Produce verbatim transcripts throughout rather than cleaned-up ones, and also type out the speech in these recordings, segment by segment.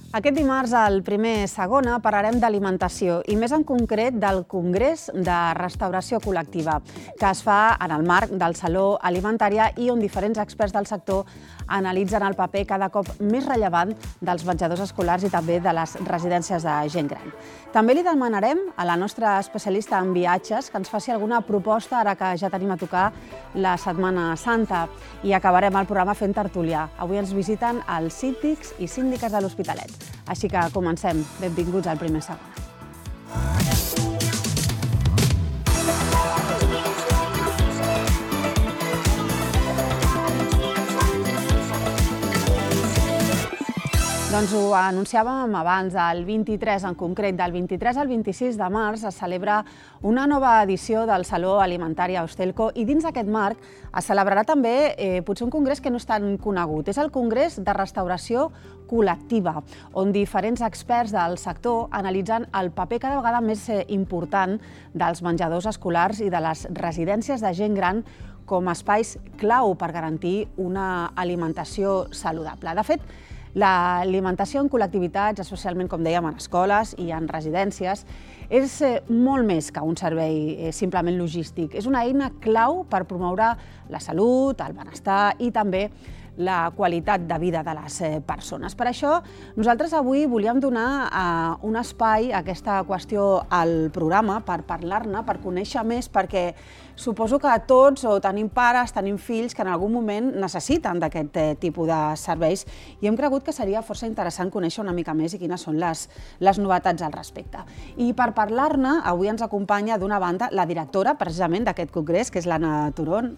Aquest dimarts, al primer Segona, parlarem d'alimentació i més en concret del Congrés de Restauració Col·lectiva, que es fa en el marc del Saló Alimentària i on diferents experts del sector analitzen el paper cada cop més rellevant dels menjadors escolars i també de les residències de gent gran. També li demanarem a la nostra especialista en viatges que ens faci alguna proposta ara que ja tenim a tocar la Setmana Santa i acabarem el programa fent tertúlia. Avui ens visiten els síndics i síndiques de l'Hospitalet. Així que comencem. Benvinguts al primer Segona. Doncs ho anunciàvem abans, el vint-i-tres, en concret, del vint-i-tres al vint-i-sis de març es celebra una nova edició del Saló Alimentària Ostelco i dins d'aquest marc es celebrarà també eh, potser un congrés que no és tan conegut. És el Congrés de Restauració Col·lectiva, on diferents experts del sector analitzen el paper cada vegada més important dels menjadors escolars i de les residències de gent gran com a espais clau per garantir una alimentació saludable. De fet, l'alimentació en col·lectivitats, especialment, com dèiem, en escoles i en residències, és molt més que un servei simplement logístic. És una eina clau per promoure la salut, el benestar i també la qualitat de vida de les persones. Per això, nosaltres avui volíem donar un espai a aquesta qüestió al programa per parlar-ne, per conèixer més, perquè suposo que tots o tenim pares, tenim fills que en algun moment necessiten d'aquest tipus de serveis i hem cregut que seria força interessant conèixer una mica més i quines són les, les novetats al respecte. I per parlar-ne, avui ens acompanya d'una banda la directora precisament d'aquest congrés, que és l'Anna Turón.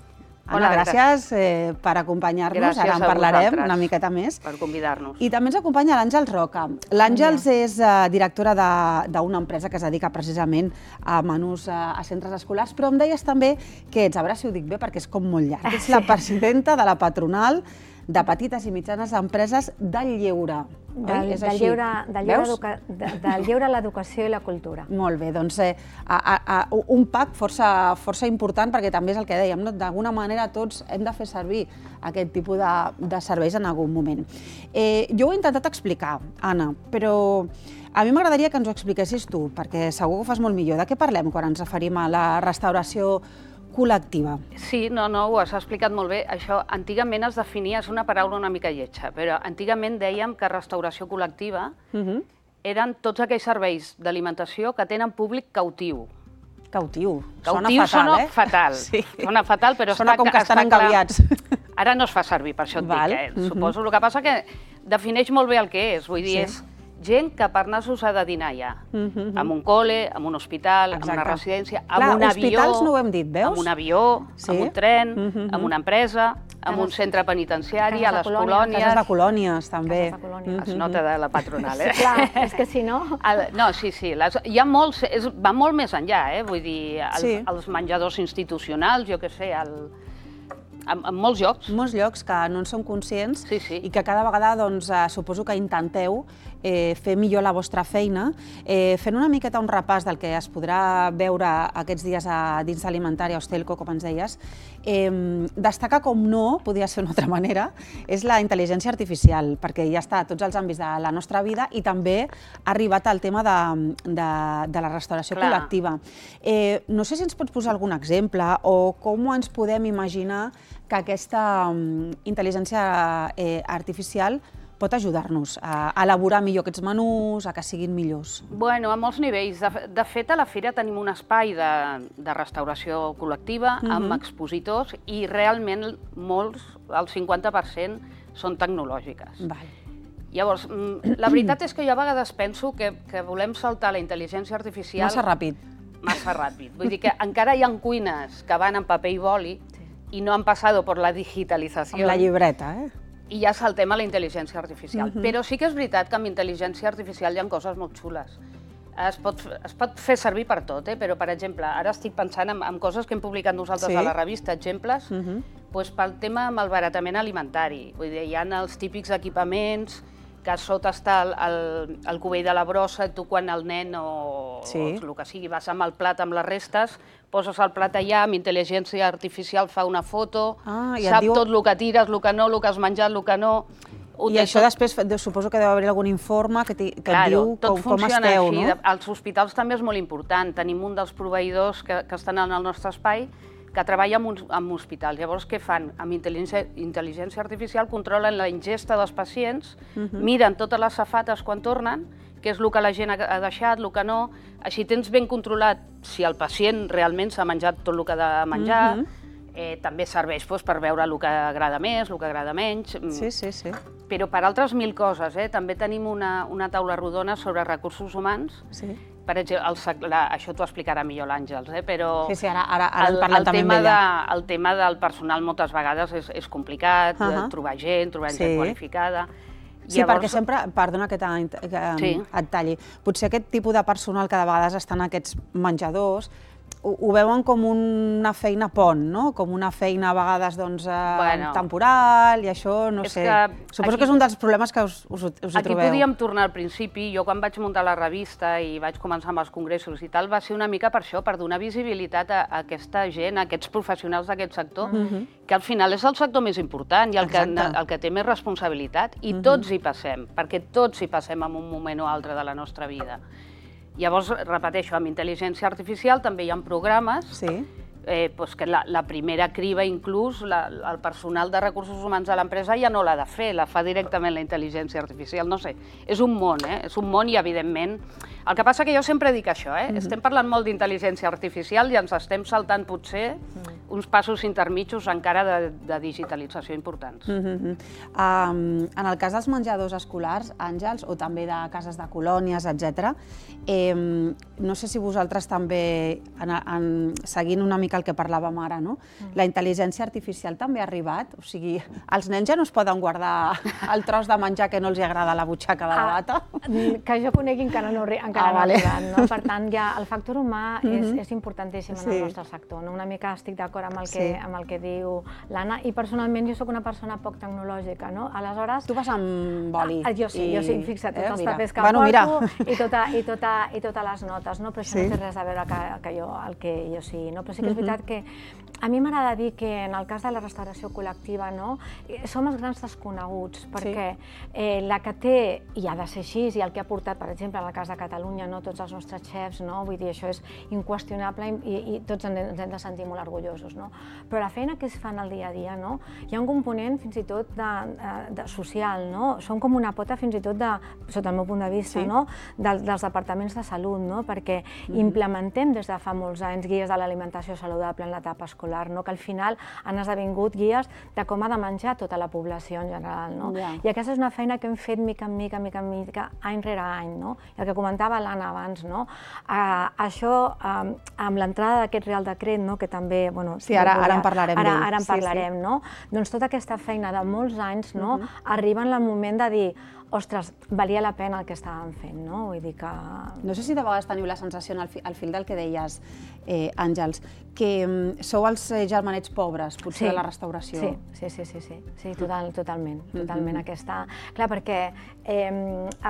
Anna, gràcies eh, per acompanyar-nos, ara en parlarem una miqueta més. Per convidar-nos. I també ens acompanya l'Àngels Roca. L'Àngels és eh, directora d'una empresa que es dedica precisament a menús eh, a centres escolars, però em deies també que ets, a veure si ho dic bé perquè és com molt llarg, ets la presidenta de la patronal de petites i mitjanes empreses del lleure. Del, del, lleure, del, lleure educa, de, del lleure, l'educació i la cultura. Molt bé, doncs eh, a, a, a, un pack força, força important perquè també és el que dèiem, no? D'alguna manera tots hem de fer servir aquest tipus de, de serveis en algun moment. Eh, jo ho he intentat explicar, Anna, però a mi m'agradaria que ens ho expliquessis tu, perquè segur que ho fas molt millor. De què parlem quan ens referim a la restauració col·lectiva? Sí, no, no, ho has explicat molt bé. Això antigament es definia, és una paraula una mica lletja, però antigament dèiem que restauració col·lectiva uh-huh. eren tots aquells serveis d'alimentació que tenen públic cautiu. Cautiu. Cautiu sona fatal, eh? Fatal. Sí. Sona fatal, però sona està, com que estan engaviats. Ara no es fa servir, per això et Val. dic, eh? Uh-huh. Suposo. El que passa que defineix molt bé el que és, vull dir, sí. és gent que per anar-s'ho s'ha de dinar ja, uh-huh. amb un col·le, amb un hospital, Exacte. amb una residència, amb Clar, un avió, hospitals no ho hem dit, veus? amb un avió, sí. amb un tren, uh-huh. amb una empresa, amb Cases, un centre penitenciari, a les colònies. colònies. Cases de colònies, també. Cases de colònies. Uh-huh. Es nota de la patronal, eh? Sí, clar, és que si no... El, no, sí, sí, les, hi ha molts, és, va molt més enllà, eh? Vull dir, el, sí. els menjadors institucionals, jo què sé, el... En, en molts llocs. Molts llocs que no en són conscients sí, sí. i que cada vegada doncs, eh, suposo que intenteu eh, fer millor la vostra feina. Eh, fent una miqueta un repàs del que es podrà veure aquests dies a, dins Alimentària Ostelco, com ens deies, eh, destaca com no, podia ser d'una altra manera, és la intel·ligència artificial, perquè ja està a tots els àmbits de la nostra vida i també ha arribat al tema de, de, de la restauració Clar. col·lectiva. Eh, no sé si ens pots posar algun exemple o com ens podem imaginar que aquesta um, intel·ligència eh, artificial pot ajudar-nos a elaborar millor aquests menús, a que siguin millors? Bueno, a molts nivells. De, de fet, a la fira tenim un espai de, de restauració col·lectiva uh-huh. amb expositors i realment molts, el cinquanta per cent, són tecnològiques. Val. Llavors, la veritat és que jo a vegades penso que, que volem saltar la intel·ligència artificial... Massa ràpid. Massa ràpid. Vull dir que encara hi ha cuines que van en paper i boli i no han passat per la digitalització. Amb la llibreta, eh? I ja saltem a la intel·ligència artificial. Uh-huh. Però sí que és veritat que amb intel·ligència artificial hi ha coses molt xules. Es pot, es pot fer servir per tot, eh? Però, per exemple, ara estic pensant en, en coses que hem publicat nosaltres sí? a la revista, exemples, uh-huh. pues, pel tema malbaratament alimentari. Vull dir, hi ha els típics equipaments que a sota està el, el, el cubell de la brossa, i tu quan el nen o, sí. o el que sigui vas amb el plat amb les restes, poses el plat allà, amb intel·ligència artificial fa una foto, ah, sap diu... tot el que tires, el que no, el que has menjat, el que no... I això després suposo que deu haver algun informe que et diu com esteu, no? Als hospitals també és molt important. Tenim un dels proveïdors que estan en el nostre espai que treballa amb hospitals. Llavors, què fan? Amb intel·ligència artificial controlen la ingesta dels pacients, miren totes les safates quan tornen, què és el que la gent ha deixat, el que no. Així tens ben controlat si el pacient realment s'ha menjat tot el que ha de menjar. També serveix per veure el que agrada més, el que agrada menys. Sí, sí, sí. Però per altres mil coses. També tenim una taula rodona sobre recursos humans. Sí. Per exemple, això t'ho explicarà millor l'Àngels, però sí, sí, ara en parlem també amb ella. El tema del personal moltes vegades és complicat, trobar gent, trobar gent qualificada. Sí, perquè sempre, perdona que et talli, potser aquest tipus de personal que de vegades està en aquests menjadors ho veuen com una feina pont, no? Com una feina a vegades temporal i això, no sé. Suposo que és un dels problemes que us hi trobeu. Aquí podíem tornar al principi. Jo quan vaig muntar la revista i vaig començar amb els congressos i tal, va ser una mica per això, per donar visibilitat a aquesta gent, a aquests professionals d'aquest sector, que al final és el sector més important i el que té més responsabilitat. I tots hi passem, perquè tots hi passem en un moment o altre de la nostra vida. Llavors, repeteixo, amb intel·ligència artificial també hi ha programes que la primera criba, inclús, el personal de recursos humans de l'empresa ja no l'ha de fer, la fa directament la intel·ligència artificial. No sé, és un món, és un món i, evidentment... El que passa que jo sempre dic això, estem parlant molt d'intel·ligència artificial i ens estem saltant, potser, uns passos intermitjos encara de digitalització importants. En el cas dels menjadors escolars, Àngels, o també de cases de colònies, etcètera, no sé si vosaltres també, seguint una mica el que parlàvem ara, la intel·ligència artificial també ha arribat? O sigui, els nens ja no es poden guardar el tros de menjar que no els agrada a la butxaca de la bata? Que jo conegui encara no ha arribat. Per tant, el factor humà és importantíssim en el nostre sector. Una mica estic d'acord amb el que diu l'Anna, i personalment jo soc una persona poc tecnològica. Aleshores... Tu vas amb boli. Jo sí, jo sí, fixa't, tots els papers que porto i totes les notes, però això no té res a veure el que jo sí. Però sí que és veritat que a mi m'agrada dir que en el cas de la restauració col·lectiva som els grans desconeguts, perquè la que té, i ha de ser així, i el que ha portat, per exemple, en el cas de Catalunya, tots els nostres xefs, vull dir, això és inqüestionable i tots ens hem de sentir molt orgullosos. Però la feina que es fa en el dia a dia, hi ha un component fins i tot social, són com una pota fins i tot, sota el meu punt de vista, dels departaments de salut, perquè implementem des de fa molts anys guies de l'alimentació saludable en l'etapa escolar, que al final han esdevingut guies de com ha de menjar tota la població en general. I aquesta és una feina que hem fet mica en mica, mica en mica, any rere any. I el que comentava l'Anna abans, això amb l'entrada d'aquest Real Decret, que també... Sí, ara en parlarem d'ell. Ara en parlarem, no? Doncs tota aquesta feina de molts anys arriba en el moment de dir ostres, valia la pena el que estàvem fent, no? Vull dir que... No sé si de vegades teniu la sensació, al fil del que deies, Àngels, que sou els germanets pobres, potser, de la restauració. Sí, sí, sí, sí, totalment, totalment aquesta... Clar, perquè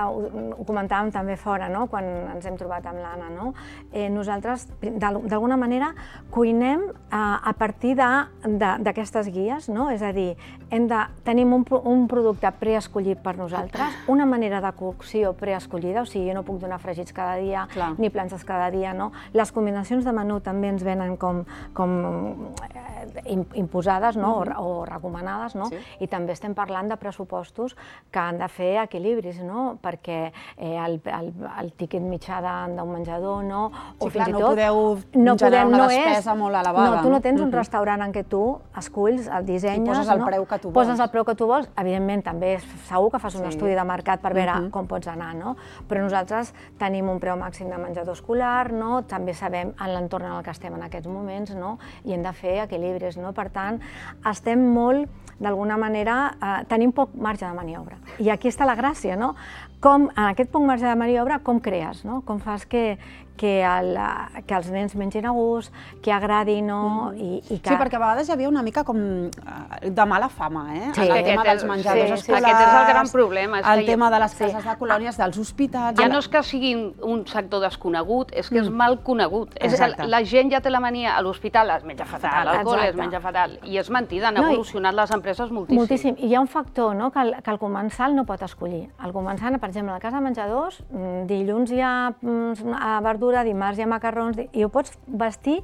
ho comentàvem també fora, quan ens hem trobat amb l'Anna, no? Nosaltres, d'alguna manera, cuinem a partir d'aquestes guies, no? És a dir, tenim un producte preescollit per nosaltres, una manera de cocció preescollida, o sigui, jo no puc donar fregits cada dia ni planxes cada dia, no? Les combinacions de menú també ens venen com imposades o recomanades, no? I també estem parlant de pressupostos que han de fer equilibris, no? Perquè el tíquet mitjà d'un menjador, no? Sí, clar, no podeu generar una despesa molt elevada. No, tu no tens un restaurant en què tu esculls, el dissenyes... I poses el preu que tu vols. Poses el preu que tu vols. Evidentment, també segur que fas un estudi de mercat per veure com pots anar, no? Però nosaltres tenim un preu màxim de menjador escolar, no? També sabem en l'entorn en el que estem en aquests moments, no? I hem de fer equilibris, no? Per tant, estem molt, d'alguna manera, tenim poc marge de maniobra. I aquí està la gràcia, no? Com, en aquest poc marge de maniobra, com crees, no? Com fas que que els nens mengin a gust, que agradi, no? Sí, perquè a vegades hi havia una mica com de mala fama, eh? El tema dels menjadors escolars... Aquest és el gran problema, és el tema de les cases de colònies, dels hospitals... Ja no és que siguin un sector desconegut, és que és mal conegut. La gent ja té la mania, a l'hospital es menja fatal, al col·le es menja fatal, i és mentida, han evolucionat les empreses moltíssim. Moltíssim, i hi ha un factor que el comensal no pot escollir. El comensal, per exemple, a la casa de menjadors, dilluns hi ha verdura, dimarts hi ha macarrons, i ho pots vestir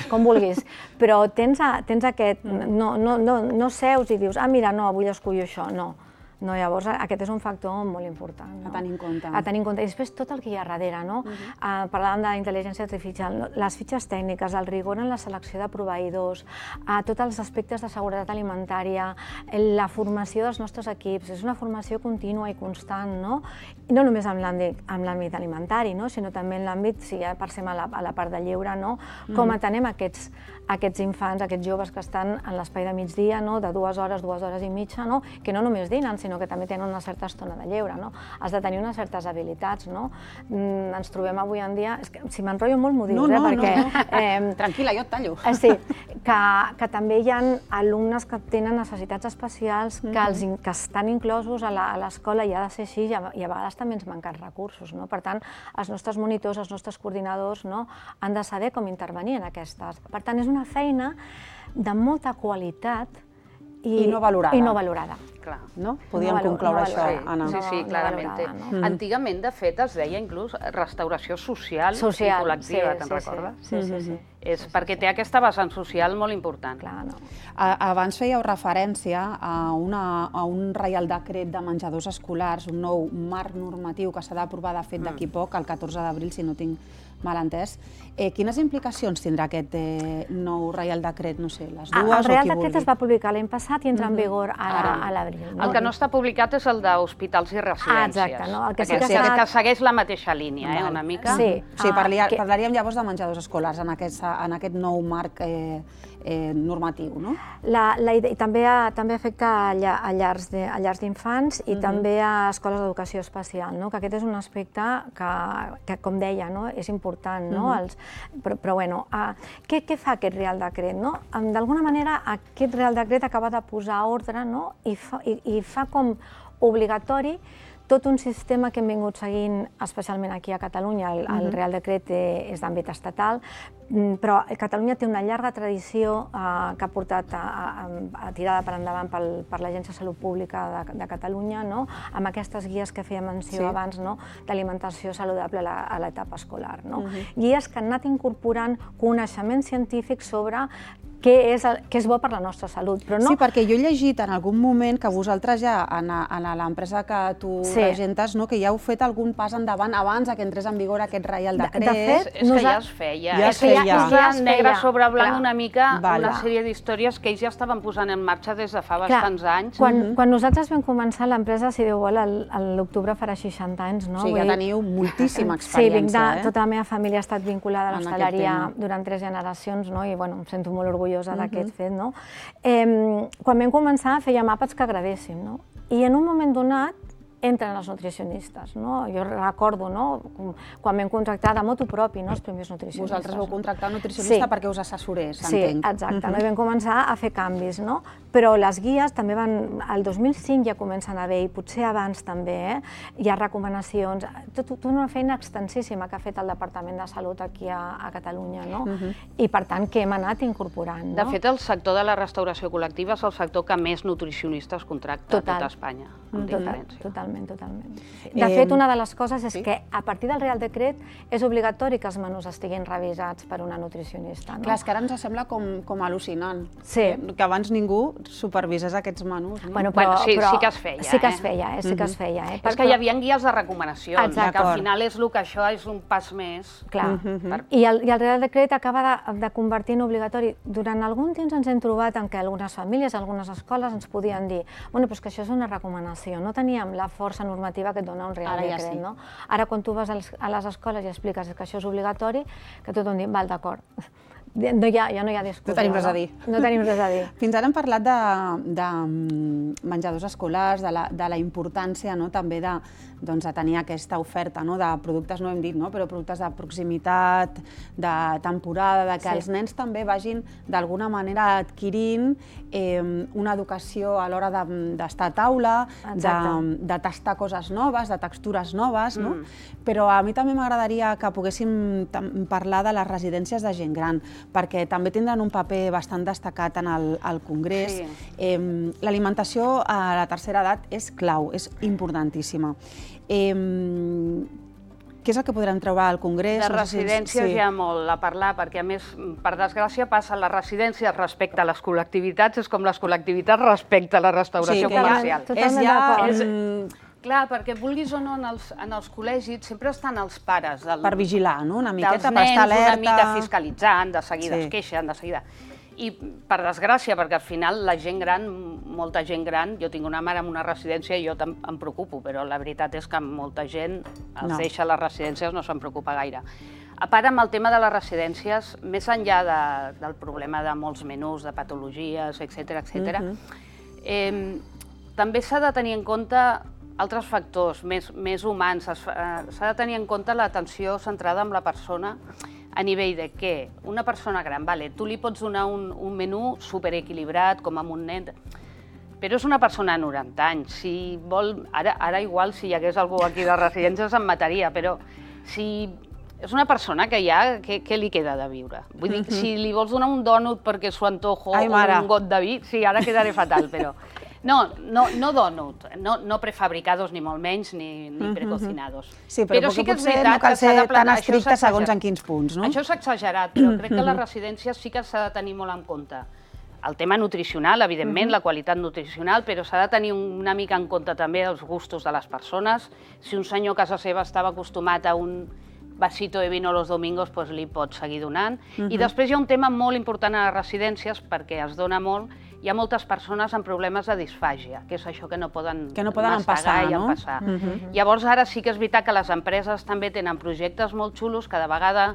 com vulguis, però tens aquest... no seus i dius, ah, mira, no, avui escollo això, no. No, llavors aquest és un factor molt important. A tenir en compte. A tenir en compte. I després tot el que hi ha darrere, no? Parlàvem d'intel·ligència artificial, les fitxes tècniques, el rigor en la selecció de proveïdors, tots els aspectes de seguretat alimentària, la formació dels nostres equips, és una formació contínua i constant, no? No només en l'àmbit alimentari, sinó també en l'àmbit, si ja passem a la part de lleure, com atenem aquests aquests infants, aquests joves que estan en l'espai de migdia, de dues hores, dues hores i mitja, que no només dinen, sinó que també tenen una certa estona de lleure. Has de tenir unes certes habilitats. Ens trobem avui en dia... Si m'enrotllo molt, m'ho dius, perquè... Tranquil·la, jo et tallo. Sí, que també hi ha alumnes que tenen necessitats especials, que estan inclosos a l'escola i ha de ser així, i a vegades també ens manquen recursos. Per tant, els nostres monitors, els nostres coordinadors han de saber com intervenir en aquestes. Per tant, és una feina de molta qualitat i no valorada. I no valorada. Podríem concloure això, Anna. Sí, sí, clarament. Antigament, de fet, es deia inclús restauració social i col·lectiva, te'n recordes? Sí, sí, sí. És perquè té aquesta vessant social molt important. Abans fèieu referència a un reial decret de menjadors escolars, un nou marc normatiu que s'ha d'aprovar, de fet, d'aquí poc, el catorze d'abril, si no tinc mal entès. Quines implicacions tindrà aquest nou reial decret? No sé, les dues o qui vulgui. El reial decret es va publicar l'any passat i entra en vigor a l'abril. El que no està publicat és el d'hospitals i residències, que segueix la mateixa línia, una mica. Sí, parlaríem llavors de menjadors escolars en aquest nou marc normatiu, no? També afecta a llars d'infants i també a escoles d'educació especial, que aquest és un aspecte que, com deia, és important. Però, bueno, què fa aquest Reial Decret? D'alguna manera, aquest Reial Decret acaba de posar ordre i fa com obligatori tot un sistema que hem vingut seguint, especialment aquí a Catalunya. El Reial Decret és d'àmbit estatal, però Catalunya té una llarga tradició que ha portat tirada per endavant per l'Agència de Salut Pública de Catalunya, amb aquestes guies que feia menció abans d'alimentació saludable a l'etapa escolar. Guies que han anat incorporant coneixement científic sobre què és bo per la nostra salut. Sí, perquè jo he llegit en algun moment que vosaltres ja, en l'empresa que tu regentes, que ja heu fet algun pas endavant abans que entrés en vigor aquest Reial Decret. De fet, és que ja es feia. És que ja es negre sobre blanc una mica una sèrie d'històries que ells ja estaven posant en marxa des de fa bastants anys. Quan nosaltres vam començar l'empresa, si Déu vol, l'octubre farà seixanta anys. O sigui, ja teniu moltíssima experiència. Sí, tota la meva família ha estat vinculada a l'hostaleria durant tres generacions i em sento molt orgullosa d'aquest fet. Quan vam començar fèiem àpats que agradéssim i en un moment donat entren els nutricionistes. Jo recordo quan vam contractar de motu propi els primers nutricionistes. Vosaltres vau contractar un nutricionista perquè us assessorés, entenc. Sí, exacte. I vam començar a fer canvis. Però les guies també van... El dos mil cinc ja comencen a haver, i potser abans també, hi ha recomanacions. Tota una feina extensíssima que ha fet el Departament de Salut aquí a Catalunya. I per tant, que hem anat incorporant. De fet, el sector de la restauració col·lectiva és el sector que més nutricionistes contracta a tot Espanya, amb diferència. Totalment. Totalment. De fet, una de les coses és que a partir del Reial Decret és obligatori que els menús estiguin revisats per una nutricionista. Clar, és que ara ens sembla com al·lucinant que abans ningú supervisés aquests menús. Sí que es feia. Sí que es feia, sí que es feia. És que hi havia guies de recomanacions, que al final és el que això és un pas més. Clar. I el Reial Decret acaba de convertir en obligatori. Durant algun temps ens hem trobat en què algunes famílies, algunes escoles ens podien dir bueno, però és que això és una recomanació, no teníem la força normativa que et dona un Reial Decret. Ara, quan tu vas a les escoles i expliques que això és obligatori, que tothom diu, val, d'acord, No hi ha, ja no hi ha discussió. No tenim res a dir. No tenim res a dir. Fins ara hem parlat de, de menjadors escolars, de la, de la importància, no, també de, doncs, de tenir aquesta oferta, no, de productes, no hem dit, no, però productes de proximitat, de temporada, de que sí. els nens també vagin d'alguna manera adquirint eh, una educació a l'hora d'estar a taula, de, de tastar coses noves, de textures noves, no? Mm. Però a mi també m'agradaria que poguéssim parlar de les residències de gent gran, perquè també tindran un paper bastant destacat en el, el Congrés. Sí. Eh, L'alimentació a la tercera edat és clau, és importantíssima. Eh, què és el que podrem trobar al Congrés? De residències sí. hi ha molt a parlar, perquè a més, per desgràcia, passa les residències respecte a les col·lectivitats, és com les col·lectivitats respecte a la restauració sí, comercial. És ja... És, clar, perquè vulguis o no, en els, en els col·legis sempre estan els pares del, per vigilar, no? Una miqueta, dels nens, per estar alerta. Una mica fiscalitzant, de seguida sí. es queixen, de seguida. I per desgràcia, perquè al final la gent gran, molta gent gran, jo tinc una mare en una residència i jo em preocupo, però la veritat és que molta gent els no. deixa les residències, no se'n preocupa gaire. A part, amb el tema de les residències, més enllà de, del problema de molts menús, de patologies, etcètera, etcètera, mm-hmm. eh, també s'ha de tenir en compte altres factors més, més humans. S'ha de tenir en compte l'atenció centrada en la persona, a nivell de què? Una persona gran, vale, tu li pots donar un, un menú superequilibrat, com amb un nen, però és una persona de noranta anys. Si vol, ara, ara igual, si hi hagués algú aquí de residències em mataria, però si és una persona que ja, què, què li queda de viure? Vull dir, si li vols donar un dònut perquè s'ho antojo o un got de vi, sí, ara quedaré fatal, però... No, no, no dònut, no, no prefabricados ni molt menys, ni, ni precocinados. Sí, però, però sí que potser no cal ser tan estricte segons en quins punts, no? Això és exagerat, però crec que les residències sí que s'ha de tenir molt en compte. El tema nutricional, evidentment, la qualitat nutricional, però s'ha de tenir una mica en compte també els gustos de les persones. Si un senyor a casa seva estava acostumat a un vasito de vino los domingos, doncs li pots seguir donant. I després hi ha un tema molt important a les residències, perquè es dona molt, hi ha moltes persones amb problemes de disfàgia, que és això que no poden, que no poden empassar, i no? empassar. Uh-huh. Llavors ara sí que és veritat que les empreses també tenen projectes molt xulos, cada vegada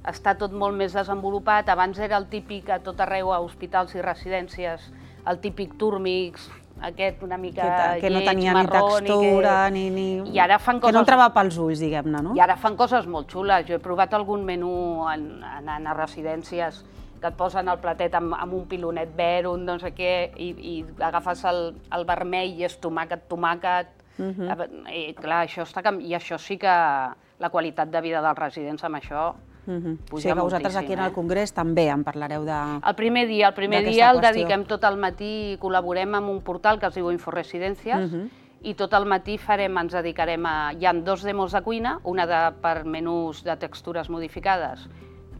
està tot molt més desenvolupat. Abans era el típic a tot arreu, a hospitals i residències, el típic túrmix, aquest una mica que, que no lleig, tenia marró, ni textura, que... ni, ni... I ara fan coses... que no entrava pels ulls, diguem-ne, no? I ara fan coses molt xules. Jo he provat algun menú en, en, en residències que et posen el platet amb, amb un pilonet verd, un no sé què, i, i agafes el, el vermell i és tomàquet, tomàquet. Uh-huh. I clar, això està, i això sí que la qualitat de vida dels residents amb això uh-huh. puja sí, que vosaltres aquí en el Congrés també en parlareu de... El primer dia, el primer dia el dediquem tot el matí i col·laborem amb un portal que es diu Inforesidències, uh-huh. i tot el matí farem, ens dedicarem a... Hi ha dos demos de cuina, una de, per menús de textures modificades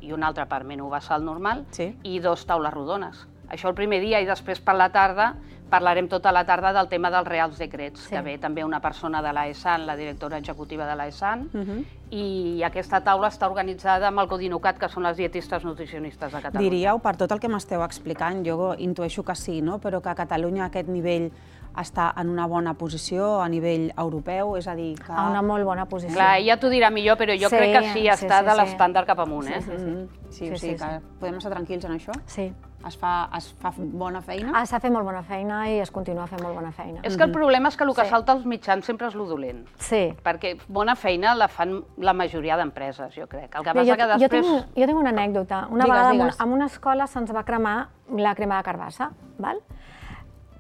i una altra per menú basal normal, sí. i dos taules rodones. Això el primer dia, i després per la tarda parlarem tota la tarda del tema dels Reals Decrets, sí. que ve també una persona de l'A E S A N, la directora executiva de l'A E S A N, uh-huh. i aquesta taula està organitzada amb el Codinocat, que són les dietistes nutricionistes de Catalunya. Diríeu, per tot el que m'esteu explicant, jo intueixo que sí, no? Però que a Catalunya aquest nivell està en una bona posició a nivell europeu, és a dir que... A una molt bona posició. Clar, ella t'ho dirà millor, però jo sí, crec que sí, està sí, sí, de l'estàndard cap amunt, eh? Sí, sí, sí. sí, sí, sí, sí, que podem estar tranquils en això? Sí. Es fa, es fa bona feina? Ah, s'ha fet molt bona feina i es continua fent molt bona feina. És que el problema és que el que sí. salta als mitjans sempre és lo dolent. Sí. Perquè bona feina la fan la majoria d'empreses, jo crec. El que passa jo, que després... Jo tinc, jo tinc una anècdota. Una digues, vegada digues. En una escola se'ns va cremar la crema de carbassa, val?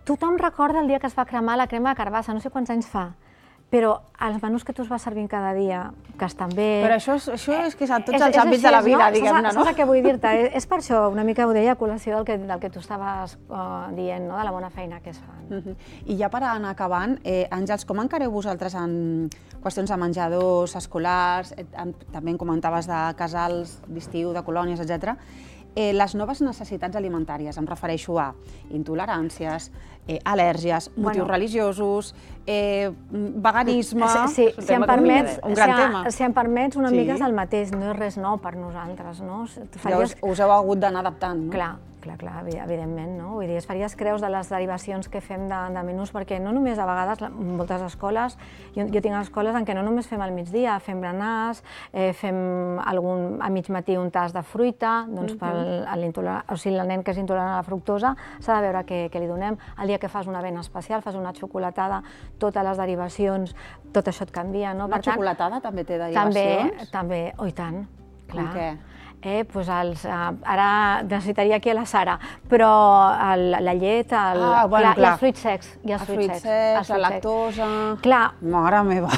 Tothom recorda el dia que es va cremar la crema de carbassa, no sé quants anys fa, però els menús que tu es vas servint cada dia, que estan bé... Però això és, això és que és a tots els àmbits de la vida, diguem-ne, no? Saps el que vull dir-te? És per això, una mica ho deia a col·lació del que, del que tu estaves uh, dient, no? De la bona feina que es fa. Uh-huh. I ja per anar acabant, eh, Àngels, com encareu vosaltres en qüestions de menjadors escolars, eh, també en comentaves de casals d'estiu, de colònies, etcètera, Eh, les noves necessitats alimentàries, em refereixo a intoleràncies, eh, al·lèrgies, motius bueno. religiosos, eh, veganisme... Sí, sí, si, em permets, un gran si, tema. Si em permets, una sí. mica és el mateix, no és res nou per nosaltres, no? Faries... Ja us, us heu hagut d'anar adaptant, no? Clar, clar, clar, evidentment, no? Vull dir, es faries creus de les derivacions que fem de, de menús, perquè no només a vegades, moltes escoles, jo, jo tinc escoles en què no només fem al migdia, fem berenars, eh, fem algun, a mig matí un tas de fruita, doncs per l'intolerant, o sigui, el nen que és intolerant a la fructosa s'ha de veure què, què li donem. El dia que fas una avena especial, fas una xocolatada, totes les derivacions, tot això et canvia, no? Una Per tant, xocolatada també té derivacions? També, també, oh i tant, clar. Com què? Eh, pues els, eh, ara necessitaria aquí a la Sara, però el, la llet, el, ah, bueno, clar, clar. i els fruits secs. I els els fruits secs, la lactosa... Clar. Mare meva.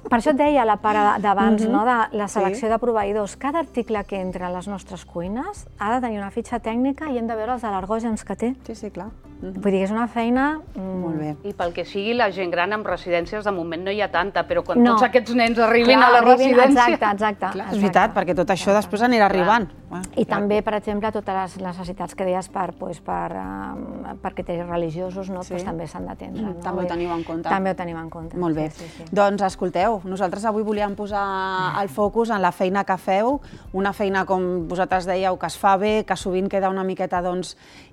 Per això et deia la part d'abans, no, de la selecció de proveïdors. Cada article que entra a les nostres cuines ha de tenir una fitxa tècnica i hem de veure els al·lergògens que té. Sí, sí, clar. Vull dir que és una feina... Molt bé. I pel que sigui, la gent gran en residències de moment no hi ha tanta, però quan tots aquests nens arribin a la residència... Exacte, exacte. Clar, és veritat, perquè tot això després anirà arribant. I també, per exemple, totes les necessitats que deies per criteris religiosos també s'han d'atendre. També ho teniu en compte. També ho tenim en compte. Molt bé. Doncs escolteu, nosaltres avui volíem posar el focus en la feina que feu, una feina, com vosaltres dèieu, que es fa bé, que sovint queda una miqueta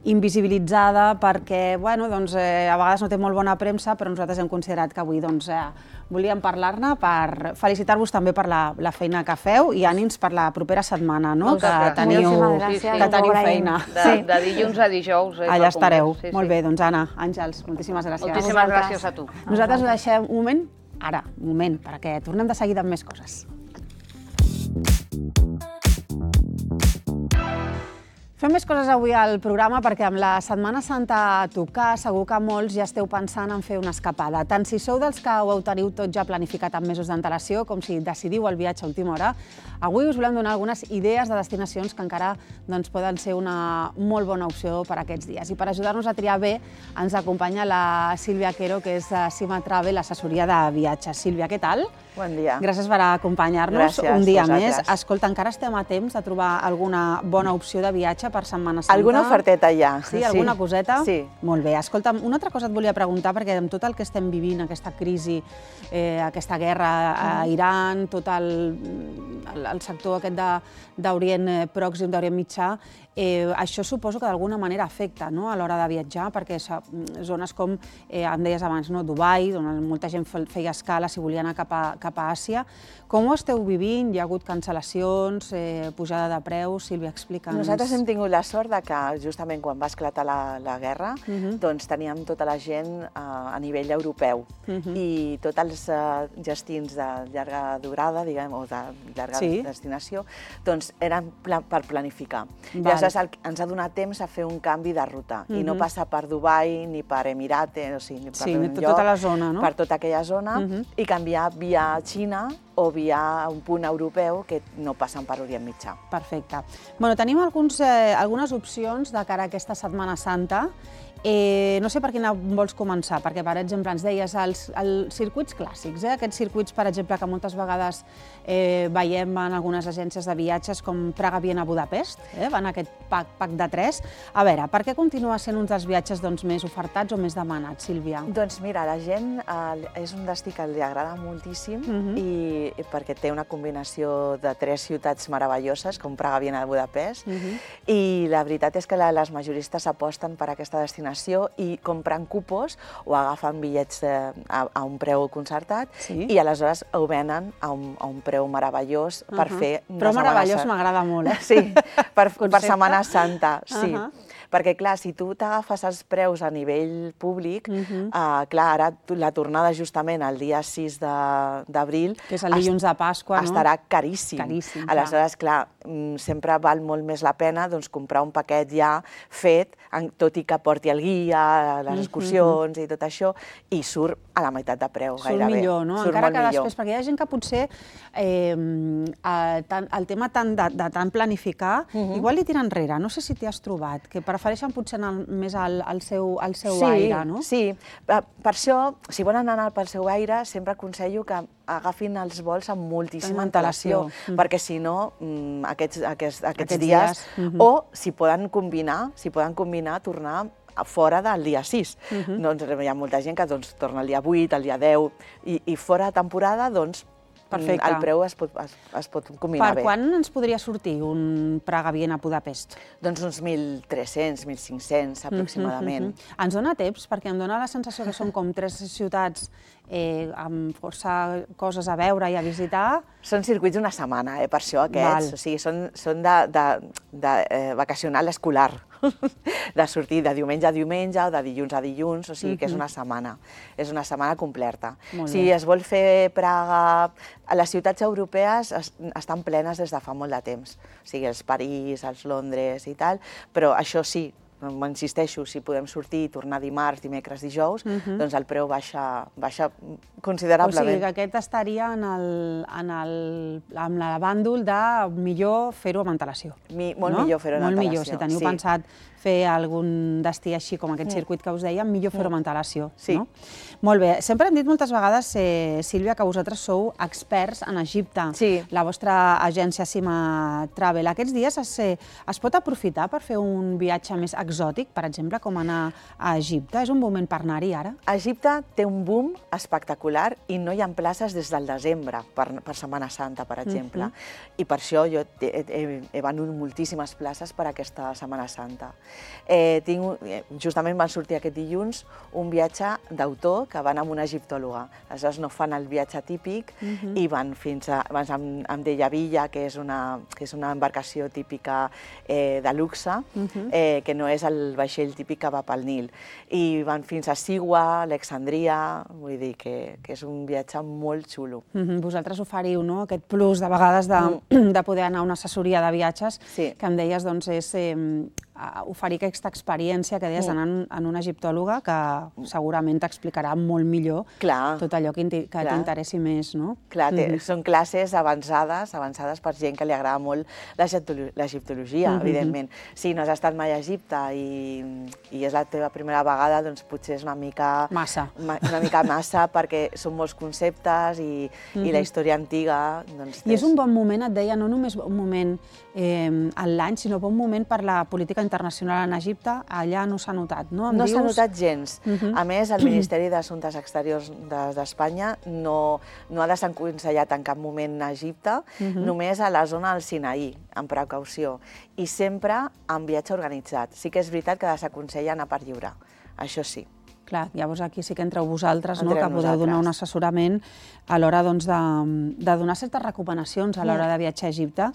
invisibilitzada perquè, bueno, doncs, eh, a vegades no té molt bona premsa, però nosaltres hem considerat que avui doncs, eh, volíem parlar-ne per felicitar-vos també per la, la feina que feu i ànims per la propera setmana, no? Que teniu, sí, sí. que teniu feina. De, de dilluns a dijous. Allà estareu. Sí, sí. Molt bé, doncs Anna, Àngels, moltíssimes gràcies. Moltíssimes gràcies a tu. Nosaltres ho deixem un moment, ara, un moment, perquè tornem de seguida amb més coses. Fem més coses avui al programa perquè amb la Setmana Santa a tocar segur que molts ja esteu pensant en fer una escapada. Tant si sou dels que ho teniu tot ja planificat amb mesos d'antelació com si decidiu el viatge a última hora, avui us volem donar algunes idees de destinacions que encara doncs, poden ser una molt bona opció per aquests dies. I per ajudar-nos a triar bé ens acompanya la Sílvia Quero, que és de Cima Travel, l'assessoria de viatges. Sílvia, què tal? Bon dia. Gràcies per acompanyar-nos un dia més. Escolta, encara estem a temps de trobar alguna bona opció de viatge per Setmana Santa? Alguna oferteta ja. Sí, alguna coseta? Sí. Molt bé. Escolta'm, una altra cosa et volia preguntar, perquè amb tot el que estem vivint, aquesta crisi, eh, aquesta guerra a Iran, tot el, el, el sector aquest d'Orient Pròxim, d'Orient Mitjà, eh, això suposo que d'alguna manera afecta, no?, a l'hora de viatjar, perquè zones com, eh, em deies abans, no?, Dubai, on molta gent feia escala si volia anar cap a, cap a Àsia. Com ho esteu vivint? Hi ha hagut cancel·lacions, eh, pujada de preus? Sílvia, explica'ns. Nosaltres hem tingut la sort de que justament quan va esclatar la, la guerra, uh-huh. doncs teníem tota la gent uh, a nivell europeu uh-huh. i tots els uh, destins de llarga durada, diguem, o de llarga sí. destinació, doncs eren pla per planificar. Val. Llavors el, ens ha donat temps a fer un canvi de ruta uh-huh. i no passar per Dubai ni per Emirates, o sigui, ni per sí, un tot, lloc, tota la zona, no? per tota aquella zona uh-huh. i canviar via Xina o via un punt europeu que no passen per Orient Mitjà. Perfecte. Bueno, tenim alguns, eh, algunes opcions de cara a aquesta Setmana Santa. Eh, no sé per quina vols començar, perquè, per exemple, ens deies els, els circuits clàssics, eh? Aquests circuits, per exemple, que moltes vegades eh, veiem en algunes agències de viatges com Praga-Viena-Budapest, eh? Van aquest pack, pack de tres. A veure, per què continua sent uns dels viatges doncs, més ofertats o més demanats, Sílvia? Doncs mira, la gent eh, és un destí que li agrada moltíssim uh-huh. i, i perquè té una combinació de tres ciutats meravelloses, com Praga-Viena-Budapest, uh-huh. i la veritat és que la, les majoristes aposten per aquesta destinació i compren cupos o agafen bitllets a, a un preu concertat sí. i aleshores ho venen a un, a un preu meravellós uh-huh. per fer... Però meravellós m'agrada molt, eh? Sí, per, per Setmana Santa, sí. Uh-huh. Perquè, clar, si tu t'agafes els preus a nivell públic, uh-huh. uh, clar, ara la tornada justament el dia sis d'abril... Que és el dilluns de Pasqua, no? Estarà caríssim. Caríssim, clar. Aleshores, clar, sempre val molt més la pena doncs, comprar un paquet ja fet, tot i que porti el guia, les excursions uh-huh. i tot això, i surt a la meitat de preu, surt gairebé. Millor, no? Surt Encara molt que millor. Després, perquè hi ha gent que potser eh, el, el tema tant de, de tant planificar, uh-huh. igual li tira enrere. No sé si t'hi has trobat, que prefereixen potser anar més al, al seu, al seu sí, aire, no? Sí, per això, si volen anar pel seu aire, sempre aconsello que agafin els vols amb moltíssima antelació, mm. perquè si no, aquests, aquests, aquests, aquests dies, dies mm-hmm. o si poden combinar, si poden combinar, tornar fora del dia sis. Uh-huh. Doncs hi ha molta gent que doncs, torna el dia vuit, el dia deu, i, i fora de temporada, doncs, el preu es pot combinar bé. Per quan ens podria sortir un Praga-Viena-Budapest? Doncs uns mil tres-cents, mil cinc-cents aproximadament. Ens dona temps? Perquè em dona la sensació que són com tres ciutats amb força coses a veure i a visitar. Són circuits d'una setmana, per això aquests. O sigui, són de vacacional escolar, de sortir de diumenge a diumenge o de dilluns a dilluns, o sigui que és una setmana. És una setmana completa. Si es vol fer Praga... Les ciutats europees estan plenes des de fa molt de temps. O sigui, els París, els Londres i tal, però això sí, m'insisteixo, si podem sortir i tornar dimarts, dimecres, dijous, doncs el preu baixa considerablement. O sigui que aquest estaria en el bàndol de millor fer-ho amb antelació. Molt millor fer-ho amb antelació. Molt millor, si teniu pensat fer algun destí així com aquest circuit que us dèiem, millor fer-ho amb antelació. Molt bé. Sempre hem dit moltes vegades, Sílvia, que vosaltres sou experts en Egipte. La vostra agència Sima Travel. Aquests dies es pot aprofitar per fer un viatge més exòtic, per exemple, com anar a Egipte? És un moment per anar-hi ara? Egipte té un boom espectacular i no hi ha places des del desembre per Setmana Santa, per exemple. I per això jo he venut moltíssimes places per aquesta Setmana Santa. Justament van sortir aquest dilluns un viatge d'autor que van amb una egiptòloga. Aleshores no fan el viatge típic i van fins a Mdeyavilla, que és una embarcació típica de luxe, que no és el vaixell típic que va pel Nil. I van fins a Siwa, Alexandria, vull dir que és un viatge molt xulo. Vosaltres oferiu aquest plus de vegades de poder anar a una assessoria de viatges, que em deies és oferir aquesta experiència que deies d'anar en una egiptòloga que segurament t'explicarà molt millor tot allò que t'interessi més, no? Clar, són classes avançades, avançades per gent que li agrada molt l'egiptologia, evidentment. Si no has estat mai a Egipte i és la teva primera vegada, doncs potser és una mica... Massa. Una mica massa, perquè són molts conceptes i la història antiga... I és un bon moment, et deia, no només un moment a l'any, sinó un moment per la política internacional en Egipte, allà no s'ha notat, no? No s'ha notat gens. A més, el Ministeri d'Assumptes Exteriors d'Espanya no ha desaconsellat en cap moment a Egipte, només a la zona del Sinaí, amb precaució, i sempre amb viatge organitzat. Sí que és veritat que desaconsella anar per lliure, això sí. Clar, llavors aquí sí que entreu vosaltres, que podeu donar un assessorament a l'hora de donar certes recomanacions a l'hora de viatjar a Egipte.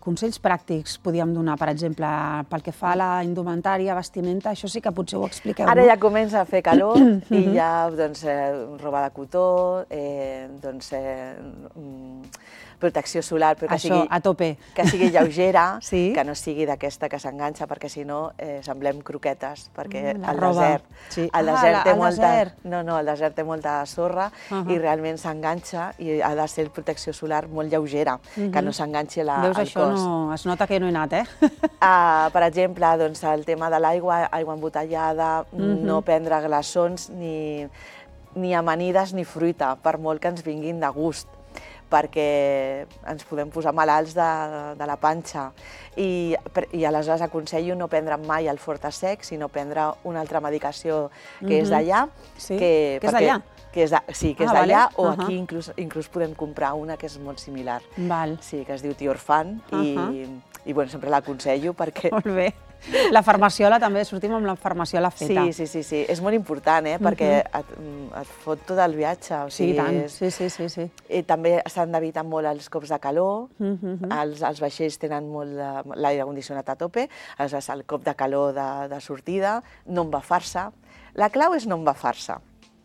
Consells pràctics podíem donar, per exemple, pel que fa a la indumentària, vestimenta, això sí que potser ho expliqueu. Ara ja comença a fer calor i ja roba de cotó, protecció solar, però que sigui lleugera, que no sigui d'aquesta que s'enganxa, perquè si no semblem croquetes, perquè el desert el desert té molta sorra i realment s'enganxa i ha de ser protecció solar molt lleugera, que no s'enganxi al cos. Veus, això es nota que no he anat, eh? Per exemple, el tema de l'aigua, aigua embotellada, no prendre glaçons ni amanides ni fruita, per molt que ens vinguin de gust, perquè ens podem posar malalts de la panxa. I aleshores aconsello no prendre mai el Fortasec, sinó prendre una altra medicació que és d'allà. Que és d'allà? Sí, que és d'allà, o aquí inclús podem comprar una que és molt similar. Sí, que es diu Tiorfan, i sempre l'aconsello perquè... Molt bé. La farmaciola també, sortim amb la farmaciola feta. Sí, sí, sí, és molt important, perquè et fot tot el viatge. Sí, tant, sí, sí, sí. També s'han d'evitar molt els cops de calor, els vaixells tenen molt l'aire condicionat a tope, aleshores el cop de calor de sortida, no embafar-se. La clau és no embafar-se.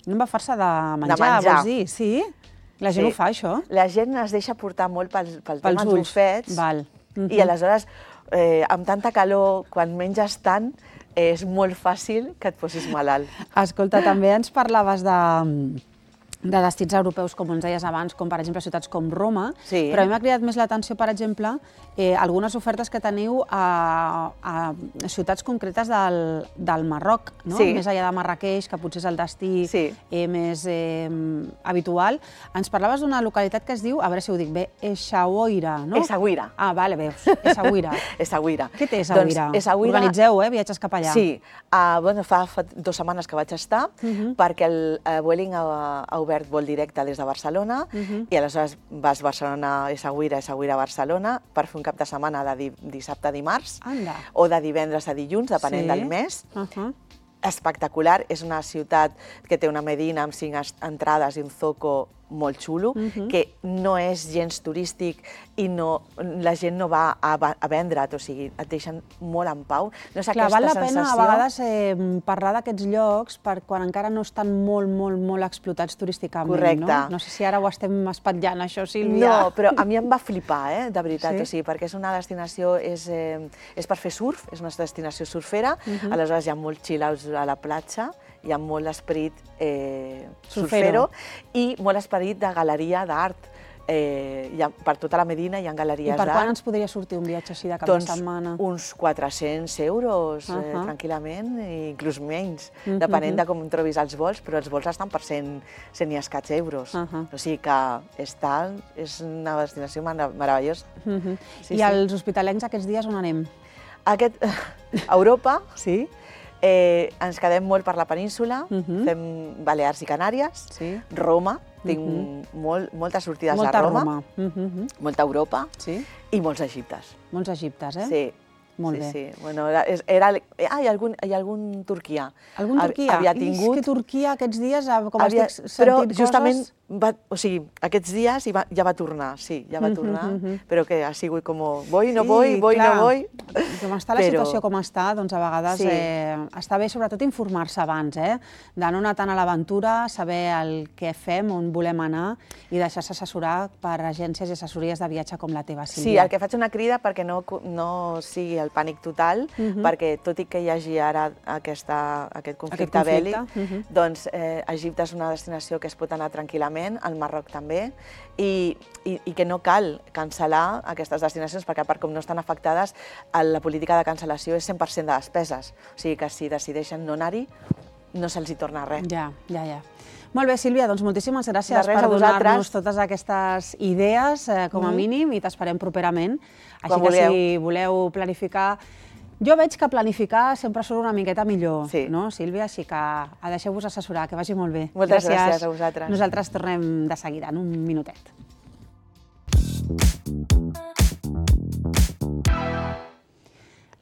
No embafar-se de menjar, vols dir? Sí? La gent ho fa, això? La gent es deixa portar molt pel tema dels fets, i aleshores amb tanta calor, quan menges tant, és molt fàcil que et posis malalt. Escolta, també ens parlaves de de destins europeus, com ens deies abans, com per exemple ciutats com Roma, però a mi m'ha cridat més l'atenció, per exemple, algunes ofertes que teniu a ciutats concretes del Marroc, més enllà de Marràqueix, que potser és el destí més habitual. Ens parlaves d'una localitat que es diu, a veure si ho dic bé, Essaouira, no? Essaouira. Ah, vale, veus, Essaouira. Essaouira. Què té Essaouira? Organitzeu, eh, viatges cap allà. Sí, fa dues setmanes que vaig estar, perquè el Vueling ha obert obert vol directe des de Barcelona i aleshores vas Barcelona-Essaouira, Essaouira-Barcelona per fer un cap de setmana de dissabte a dimarts o de divendres a dilluns, depenent del mes. Espectacular, és una ciutat que té una medina amb cinc entrades i un zoco molt xulo, que no és gens turístic i la gent no va a vendre't, o sigui, et deixen molt en pau. Clar, val la pena a vegades parlar d'aquests llocs quan encara no estan molt, molt, molt explotats turísticament, no? Correcte. No sé si ara ho estem espatllant, això, Sílvia. No, però a mi em va flipar, de veritat, o sigui, perquè és una destinació, és per fer surf, és una destinació surfera, aleshores hi ha molts chill-outs a la platja, hi ha molt esperit surfero i molt esperit de galeria d'art. Per tota la Medina hi ha galeries d'art. I per quan ens podria sortir un viatge així de cap de setmana? Uns quatre-cents euros, tranquil·lament, inclús menys, depenent de com trobis els vols, però els vols estan per cent i escaig euros. O sigui que és una destinació meravellosa. I als hospitalencs aquests dies on anem? A Europa. Sí. Ens quedem molt per la península, fem Balears i Canàries, Roma, tinc moltes sortides a Roma, molta Europa i molts Egiptes. Molts Egiptes, eh? Sí. Molt bé. Sí, sí. Bueno, era... Ah, hi ha algun Turquia. Algun Turquia? Havia tingut... És que Turquia aquests dies, com estic sentint coses... Però justament, o sigui, aquests dies ja va tornar, sí, ja va tornar, però que ha sigut com, voy, no voy, voy, no voy... Com està la situació com està, doncs a vegades està bé sobretot informar-se abans, eh? De no anar tant a l'aventura, saber el que fem, on volem anar i deixar-se assessorar per agències i assessories de viatge com la teva, Sílvia. Sí, el que faig una crida perquè no sigui el pànic total, perquè tot i que hi hagi ara aquest conflicte bèl·lic, doncs Egipte és una destinació que es pot anar tranquil·lament, al Marroc també, i que no cal cancel·lar aquestes destinacions, perquè a part com no estan afectades, la política de cancel·lació és cent per cent de despeses, o sigui que si decideixen no anar-hi, no se'ls hi torna res. Ja, ja, ja. Molt bé, Sílvia, doncs moltíssimes gràcies per donar-nos totes aquestes idees, com a mínim, i t'esperem properament. Així que si voleu planificar... Jo veig que planificar sempre surt una miqueta millor, no, Sílvia? Així que deixeu-vos assessorar, que vagi molt bé. Moltes gràcies a vosaltres. Nosaltres tornem de seguida, en un minutet.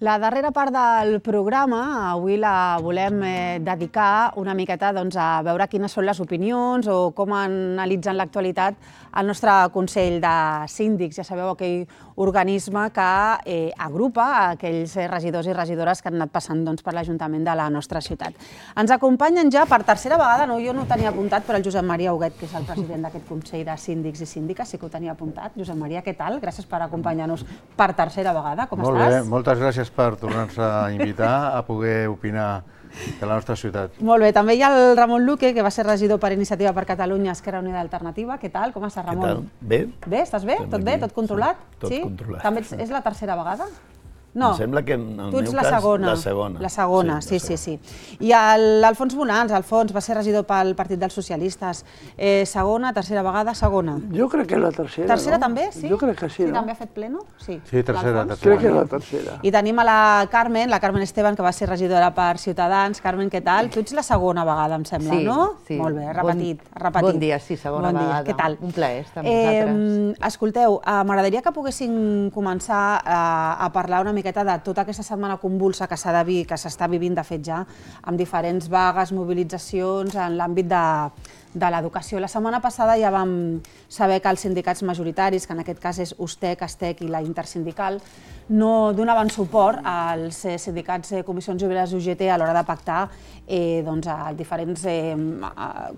La darrera part del programa avui la volem dedicar una miqueta a veure quines són les opinions o com analitzen l'actualitat el nostre Consell de Síndics. Ja sabeu, aquell organisme que agrupa aquells regidors i regidores que han anat passant per l'Ajuntament de la nostra ciutat. Ens acompanyen ja per tercera vegada, jo no ho tenia apuntat, però el Josep Maria Huguet, que és el president d'aquest Consell de Síndics i Síndiques, sí que ho tenia apuntat. Josep Maria, què tal? Gràcies per acompanyar-nos per tercera vegada. Com estàs? Molt bé, moltes gràcies per tornar-nos a invitar a poder opinar de la nostra ciutat. Molt bé, també hi ha el Ramon Luque, que va ser regidor per Iniciativa per Catalunya, Esquerra Unida Alternativa. Què tal? Com estàs, Ramon? Què tal? Bé. Bé, estàs bé? Tot bé? Tot controlat? Tot controlat. També és la tercera vegada? No, em sembla que en el tu ets meu la cas, segona. la segona. La segona, sí, sí, sí. I l'Alfons Bonans, Alfons, va ser regidor pel Partit dels Socialistes. Segona, tercera vegada, segona. Jo crec que és la tercera, no? Tercera també, sí? Jo crec que sí, no? Sí, també ha fet pleno? Sí. Sí, tercera, tercera. Crec que és la tercera. I tenim a la Carmen, la Carmen Esteban, que va ser regidora per Ciutadans. Carmen, què tal? Tu ets la segona vegada, em sembla, no? Sí, sí. Molt bé, repetit, repetit. Bon dia, sí, segona vegada. Què tal? Un plaer estar amb vosaltres. Escolteu, m'agradaria que poguéssim començar a parlar una miqueta de tota aquesta setmana convulsa que s'ha de dir, que s'està vivint de fet ja, amb diferents vagues, mobilitzacions en l'àmbit de, de l'educació. La setmana passada ja vam saber que els sindicats majoritaris, que en aquest cas és USTEC, ASTEC i la Intersindical, no donaven suport als sindicats Comissions Obreres i U G T a l'hora de pactar diferents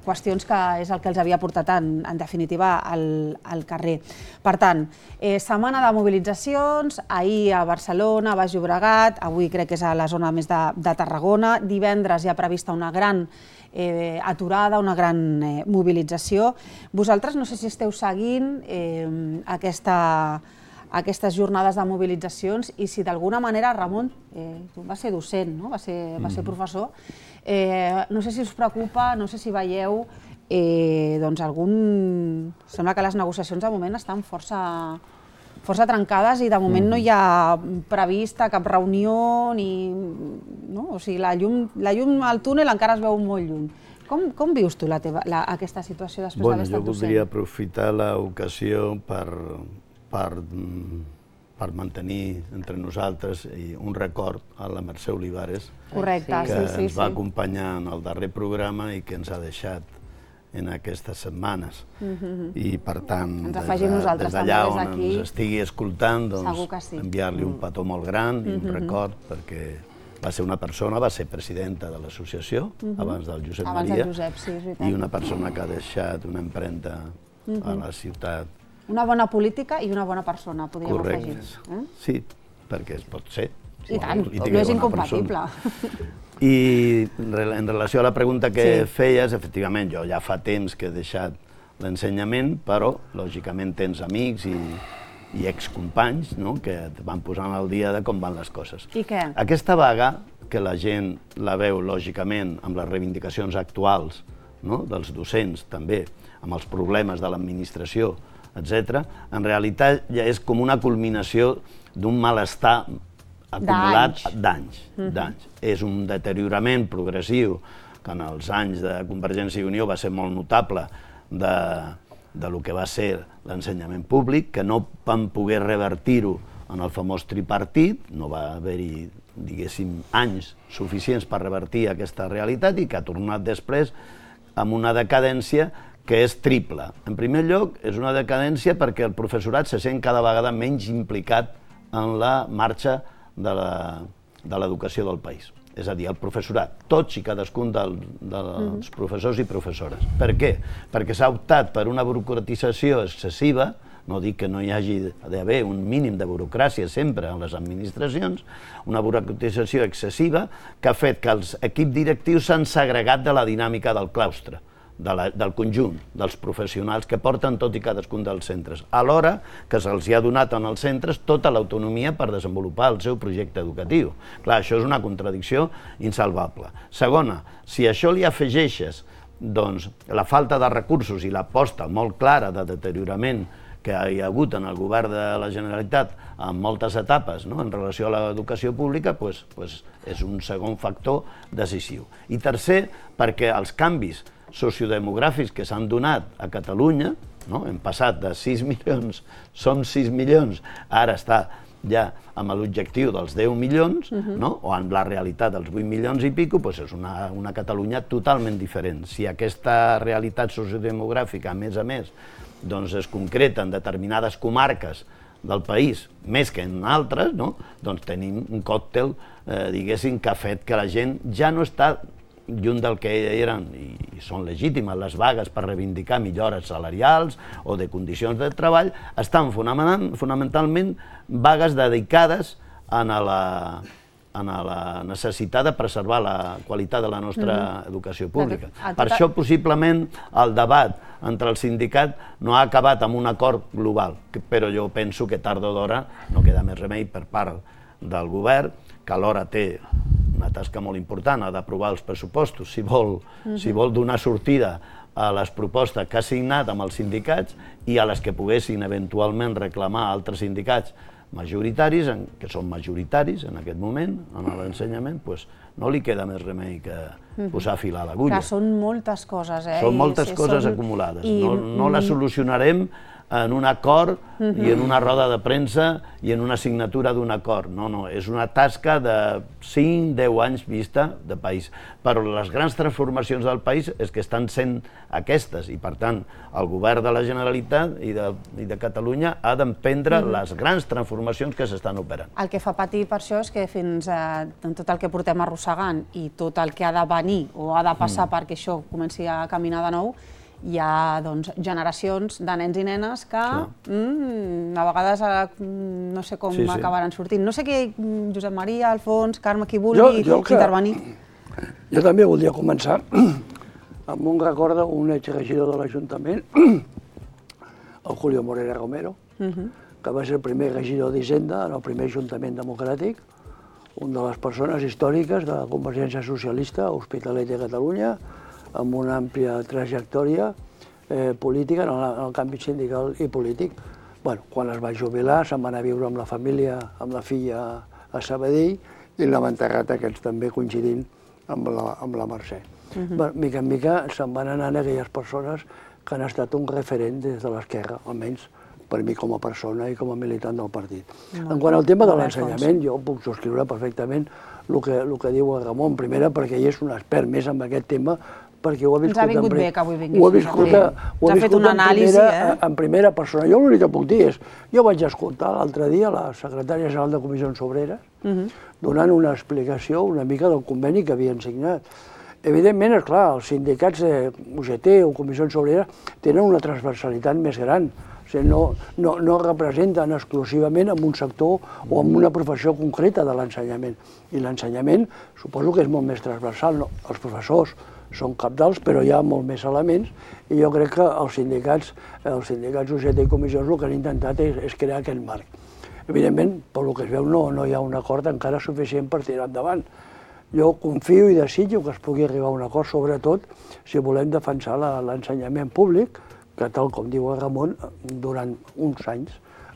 qüestions que és el que els havia portat en definitiva al carrer. Per tant, setmana de mobilitzacions, ahir a Barcelona, a Baix Llobregat, avui crec que és a la zona més de Tarragona, divendres hi ha prevista una gran aturada, una gran mobilització. Vosaltres no sé si esteu seguint aquesta aquestes jornades de mobilitzacions i si d'alguna manera, Ramon, tu vas ser docent, vas ser professor, no sé si us preocupa, no sé si veieu, doncs algun... Sembla que les negociacions de moment estan força força trencades i de moment no hi ha prevista cap reunió ni... O sigui, la llum al túnel encara es veu molt lluny. Com vius tu aquesta situació després d'haver estat docent? Jo voldria aprofitar l'ocasió per mantenir entre nosaltres un record a la Mercè Olivares, que ens va acompanyar en el darrer programa i que ens ha deixat en aquestes setmanes. I, per tant, des d'allà on ens estigui escoltant, enviar-li un petó molt gran i un record, perquè va ser una persona, va ser presidenta de l'associació, abans del Josep Maria, i una persona que ha deixat una empremta a la ciutat. Una bona política i una bona persona, podríem afegir. Correcte. Sí, perquè es pot ser. I tant, no és incompatible. I en relació a la pregunta que feies, efectivament, jo ja fa temps que he deixat l'ensenyament, però, lògicament, tens amics i excompanys que et van posant al dia de com van les coses. I què? Aquesta vaga, que la gent la veu, lògicament, amb les reivindicacions actuals dels docents, també, amb els problemes de l'administració, etcètera, en realitat ja és com una culminació d'un malestar acumulat d'anys. És un deteriorament progressiu que en els anys de Convergència i Unió va ser molt notable del que va ser l'ensenyament públic, que no van poder revertir-ho en el famós tripartit, no va haver-hi, diguéssim, anys suficients per revertir aquesta realitat i que ha tornat després amb una decadència que és triple. En primer lloc, és una decadència perquè el professorat se sent cada vegada menys implicat en la marxa de l'educació del país. És a dir, el professorat, tots i cadascun dels professors i professores. Per què? Perquè s'ha optat per una burocratització excessiva, no dic que no hi hagi d'haver un mínim de burocràcia sempre en les administracions, una burocratització excessiva que ha fet que els equips directius s'han segregat de la dinàmica del claustre, del conjunt dels professionals que porten tot i cadascun dels centres, alhora que se'ls ha donat en els centres tota l'autonomia per desenvolupar el seu projecte educatiu. Clar, això és una contradicció insalvable. Segona, si a això li afegeixes la falta de recursos i l'aposta molt clara de deteriorament que hi ha hagut en el govern de la Generalitat en moltes etapes en relació a l'educació pública, és un segon factor decisiu. I tercer, perquè els canvis sociodemogràfics que s'han donat a Catalunya, hem passat de sis milions, som sis milions, ara està ja amb l'objectiu dels deu milions, o amb la realitat dels vuit milions i pico, és una Catalunya totalment diferent. Si aquesta realitat sociodemogràfica, a més a més, es concreta en determinades comarques del país, més que en altres, doncs tenim un còctel, diguéssim, que ha fet que la gent ja no està lluny del que eren, i són legítimes les vagues per reivindicar millores salarials o de condicions de treball, estan fonamentalment vagues dedicades a la necessitat de preservar la qualitat de la nostra educació pública. Per això, possiblement, el debat entre el sindicat no ha acabat amb un acord global, però jo penso que tard o d'hora no queda més remei per part del govern, que alhora té una tasca molt important, ha d'aprovar els pressupostos, si vol donar sortida a les propostes que ha signat amb els sindicats i a les que poguessin eventualment reclamar altres sindicats majoritaris, que són majoritaris en aquest moment, en l'ensenyament, doncs no li queda més remei que posar fil a l'agulla. Que són moltes coses, eh? Són moltes coses acumulades. No les solucionarem en un acord i en una roda de premsa i en una signatura d'un acord. No, no, és una tasca de cinc a deu anys vista de país. Però les grans transformacions del país és que estan sent aquestes i, per tant, el govern de la Generalitat i de Catalunya ha d'emprendre les grans transformacions que s'estan operant. El que fa patir per això és que fins a tot el que portem arrossegant i tot el que ha de venir o ha de passar perquè això comenci a caminar de nou, hi ha generacions de nens i nenes que a vegades no sé com acabaran sortint. No sé què, Josep Maria, Alfons, Carme, qui vulgui intervenir. Jo també voldria començar amb un record d'un exregidor de l'Ajuntament, el Julio Morera Romero, que va ser el primer regidor d'Hisenda en el primer Ajuntament democràtic, una de les persones històriques de la Convergència Socialista a Hospitalet de Catalunya, amb una àmplia trajectòria política en el canvi sindical i polític. Quan es va jubilar se'n va anar a viure amb la família, amb la filla a Sabadell, i l'hem enterrat aquests també coincidint amb la Mercè. mica en mica se'n van anant aquelles persones que han estat un referent des de l'esquerra, almenys per mi com a persona i com a militant del partit. En quant al tema de l'ensenyament, jo puc subscriure perfectament el que, el que diu el Ramon, primera perquè ell és un expert més en aquest tema, perquè ho ha viscut, Ens ha vingut en, bé que avui vinguis. ho ha viscut, Sí. a, ho ha Ens ha fet viscut una en, anàlisi, primera, eh? en primera persona. Jo l'únic que puc dir és, jo vaig escoltar l'altre dia la secretària general de Comissions Obreres donant una explicació una mica del conveni que havien signat. Evidentment, esclar, els sindicats de U G T o Comissions Obreres tenen una transversalitat més gran. O sigui, no, no, no representen exclusivament en un sector o en una professió concreta de l'ensenyament. I l'ensenyament suposo que és molt més transversal. No? Els professors són cabdals, però hi ha molt més elements i jo crec que els sindicats, els sindicats U G T i comissions el que han intentat és, és crear aquest marc. Evidentment, pel que es veu, no, no hi ha un acord encara suficient per tirar endavant. Jo confio i desitjo que es pugui arribar a un acord, sobretot si volem defensar l'ensenyament públic, que tal com diu el Ramon, durant uns anys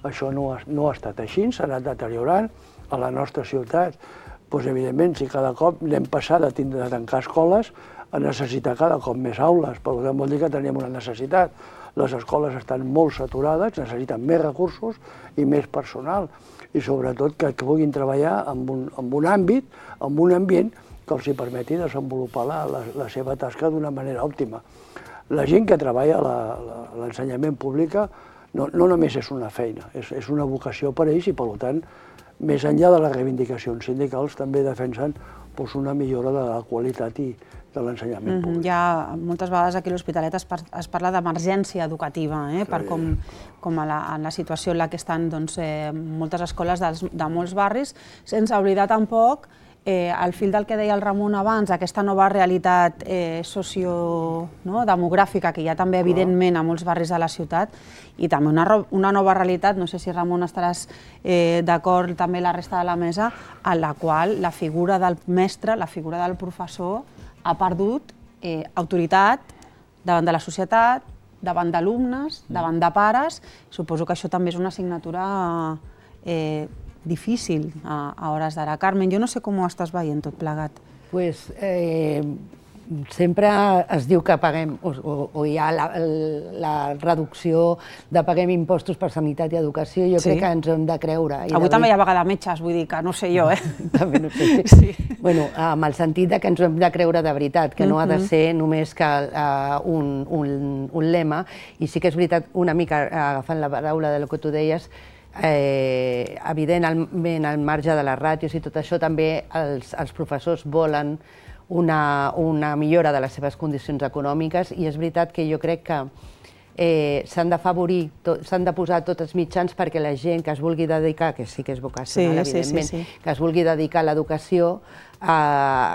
això no ha, no ha estat així, s'ha anat deteriorant a la nostra ciutat. Doncs, evidentment, si cada cop anem passant de tindre de tancar escoles a necessitar cada cop més aules, per tant vol dir que tenim una necessitat. Les escoles estan molt saturades, necessiten més recursos i més personal, i sobretot que puguin treballar en un, en un àmbit, en un ambient que els hi permeti desenvolupar la, la, la seva tasca d'una manera òptima. La gent que treballa a l'ensenyament públic no, no només és una feina, és, és una vocació per a ells i, per tant, més enllà de les reivindicacions sindicals, també defensen doncs, una millora de la qualitat i de l'ensenyament públic. Hi ha, moltes vegades aquí a l'Hospitalet es, par es parla d'emergència educativa, eh? sí. per com, com a la, en la situació en la que estan doncs, eh, moltes escoles dels, de molts barris, sense oblidar tampoc Eh, al fil del que deia el Ramon abans, aquesta nova realitat eh, sociodemogràfica que hi ha també, evidentment, a molts barris de la ciutat, i també una, una nova realitat, no sé si, Ramon, estaràs eh, d'acord també la resta de la mesa, en la qual la figura del mestre, la figura del professor, ha perdut eh, autoritat davant de la societat, davant d'alumnes, davant de pares. Suposo que això també és una assignatura eh, difícil a, a hores d'ara. Carmen, jo no sé com ho estàs veient tot plegat. Pues, eh, sempre es diu que paguem, o, o, o hi ha la, la reducció de paguem impostos per sanitat i educació, jo sí. crec que ens hem de creure. I Avui també hi ha vaga de metges, vull dir que no sé jo, eh? També no sé. Sí. Bueno, amb el sentit de que ens hem de creure de veritat, que no ha de ser només que uh, un, un, un lema, i sí que és veritat, una mica agafant la paraula del que tu deies, Eh, evidentment, al marge de les ràtios i tot això, també els, els professors volen una, una millora de les seves condicions econòmiques, i és veritat que jo crec que eh, s'han d'afavorir, s'han de posar tots els mitjans perquè la gent que es vulgui dedicar, que sí que és vocacional, sí, evidentment, sí, sí, sí. que es vulgui dedicar a l'educació, eh,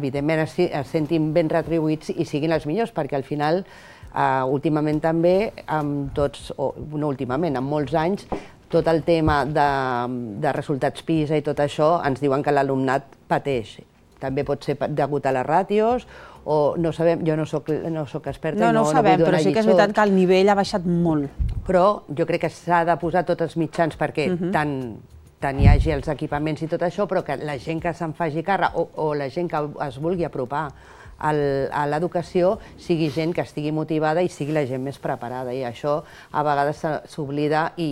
evidentment es, es sentin ben retribuïts i siguin els millors, perquè al final, eh, últimament també, amb tots, o no últimament, en molts anys, tot el tema de, de resultats PISA i tot això, ens diuen que l'alumnat pateix. També pot ser degut a les ràtios, o no sabem, jo no soc, no soc experta no, i no, no ho sabem, no vull donar però sí que és lliçons. veritat que el nivell ha baixat molt. Però jo crec que s'ha de posar tots els mitjans perquè uh -huh. tant, tant hi hagi els equipaments i tot això, però que la gent que se'n faci càrrec o, o la gent que es vulgui apropar a l'educació sigui gent que estigui motivada i sigui la gent més preparada, i això a vegades s'oblida, i,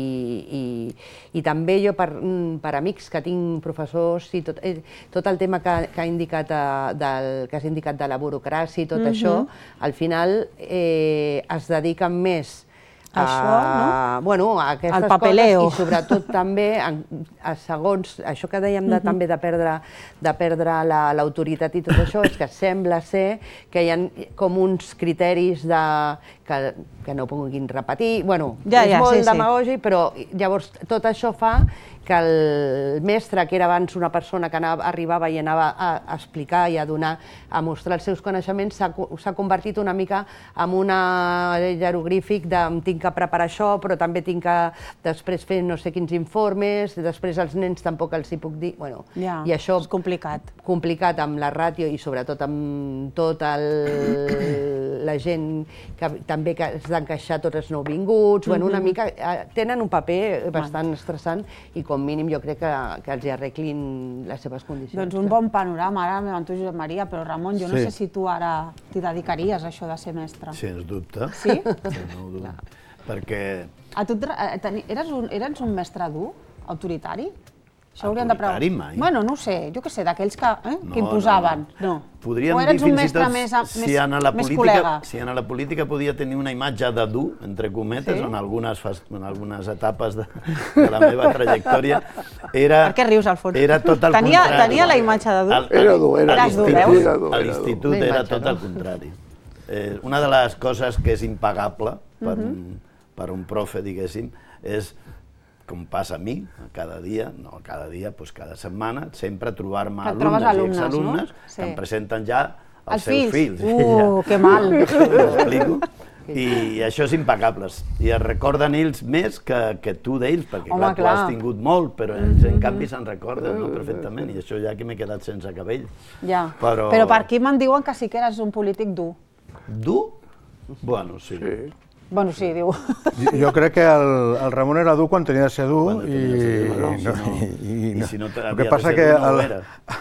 i, i també jo per, per amics que tinc professors i tot, tot el tema que, que, ha indicat, del, que has indicat de la burocràcia i tot uh-huh. això, al final eh, es dediquen més això, no? Bueno, a aquestes coses, i sobretot també, a segons això que dèiem de, també de perdre, de perdre l'autoritat i tot això, és que sembla ser que hi ha com uns criteris de, que, que no puguin repetir, bueno, ja, és ja, molt sí, demagògic, sí. Però llavors tot això fa que el mestre, que era abans una persona que anava, arribava i anava a explicar i a donar, a mostrar els seus coneixements, s'ha convertit una mica en un jeroglífic de tinc tinc que preparar això, però també tinc que després fer no sé quins informes, després als nens tampoc els hi puc dir... Bueno, ja, i això, és complicat. Complicat amb la ràtio i sobretot amb tota la gent que també has d'encaixar tots els nouvinguts, bueno, una mica... Tenen un paper bastant estressant i com mínim jo crec que, que els hi arreglin les seves condicions. Doncs un bon panorama, ara m'ho tu, Josep Maria, però Ramon, jo no sé si tu ara t'hi dedicaries a això de ser mestre. Sens dubte. Sí? No ho dubto. Perquè... A tu eres un, eres un mestre dur, autoritari? Això autoritari mai. Bueno, no ho sé, jo què sé, d'aquells que, eh, no, que imposaven. No, no. Podríem o eres dir un fins i mestre tot més, si més, en la més política, col·lega. si en la política podia tenir una imatge de dur, entre cometes, sí? en, algunes, en algunes etapes de, de la meva trajectòria, era... Per què rius, Alfons? Era tot el tenia, contrari. Tenia la imatge de dur? El, era dur, era, Eres dur, veus? A l'institut era tot el contrari. Eh, una de les coses que és impagable per, uh -huh. un, per un profe, diguéssim, és com passa a mi, cada dia, no cada dia, doncs cada setmana, sempre trobar-me alumnes, alumnes i exalumnes no? sí. que em presenten ja els, els seus fills. fills. Uh, que mal! M'explico? I això és impecable. I es recorden ells més que, que tu d'ells, perquè Home, clar, tu clar. has tingut molt, però ells en canvi se'n recorden no? perfectament, i això ja que m'he quedat sense cabell. Ja. Però... però per aquí me'n diuen que sí que eres un polític dur. Dur? Bueno, sí. sí. Bueno, sí, diu. Jo crec que el, el Ramon era dur quan tenia de ser dur i, no, no, no, i, i si no el que passa que el,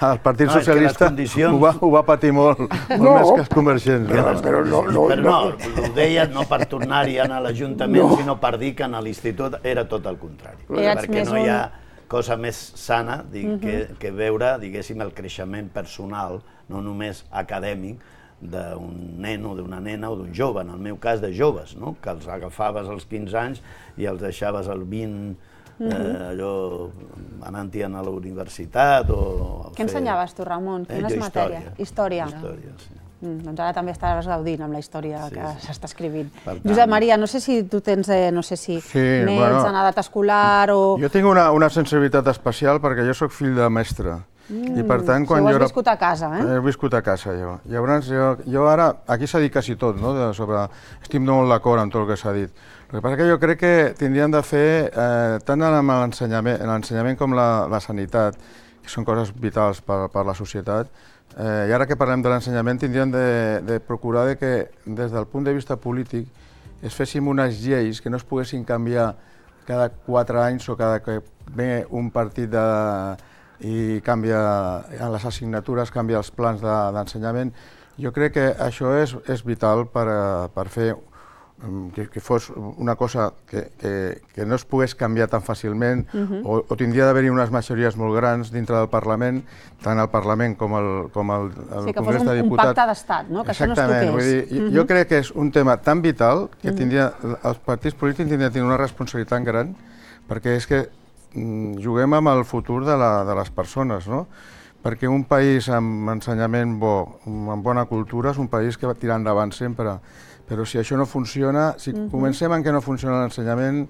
el Partit no, Socialista condicions... ho, va, ho va patir molt, molt no, més que els convergents. No, no? però no, no, però no, ho deia no per tornar-hi a l'Ajuntament, no. sinó per dir que a l'institut era tot el contrari. Eres perquè no un... hi ha cosa més sana dic, uh -huh. que, que veure, diguéssim, el creixement personal, no només acadèmic, d'un nen o d'una nena o d'un jove, en el meu cas de joves, no? Que els agafaves als quinze anys i els deixaves als vint, eh, allò, anant-hi a la universitat o... Què ensenyaves tu, Ramon? Quines eh, matèries? Història. Història, sí. Mm, doncs ara també estaràs gaudint amb la història sí, que s'està escrivint. Tant... Josep Maria, no sé si tu tens, eh, no sé si sí, nens bueno, en edat escolar o... Jo tinc una, una sensibilitat especial perquè jo sóc fill de mestre. Mm, I per tant, quan si ho has jo era... viscut a casa, eh? He viscut a casa, jo. Llavors, jo, jo ara, aquí s'ha dit quasi tot, no? De sobre... Estic molt d'acord amb tot el que s'ha dit. El que passa que jo crec que tindríem de fer, eh, tant en l'ensenyament com la, la sanitat, que són coses vitals per, per la societat, eh, i ara que parlem de l'ensenyament tindríem de, de procurar de que, des del punt de vista polític, es féssim unes lleis que no es poguessin canviar cada quatre anys o cada que ve un partit de... i canvia a les assignatures, canvia els plans d'ensenyament. De, jo crec que això és, és vital per, per fer que, que fos una cosa que, que, que no es pogués canviar tan fàcilment uh-huh. o, o tindria d'haver-hi unes majories molt grans dintre del Parlament, tant el Parlament com el, com el, el sí, Congrés un, de Diputats. Un pacte d'estat, no? Que exactament, això no es vull dir, uh-huh. jo crec que és un tema tan vital que tindria, els partits polítics tindrien de tenir una responsabilitat tan gran, perquè és que juguem amb el futur de, la, de les persones, no? Perquè un país amb ensenyament bo, amb bona cultura, és un país que va tirar endavant sempre. Però si això no funciona, si uh-huh. comencem en què no funciona l'ensenyament,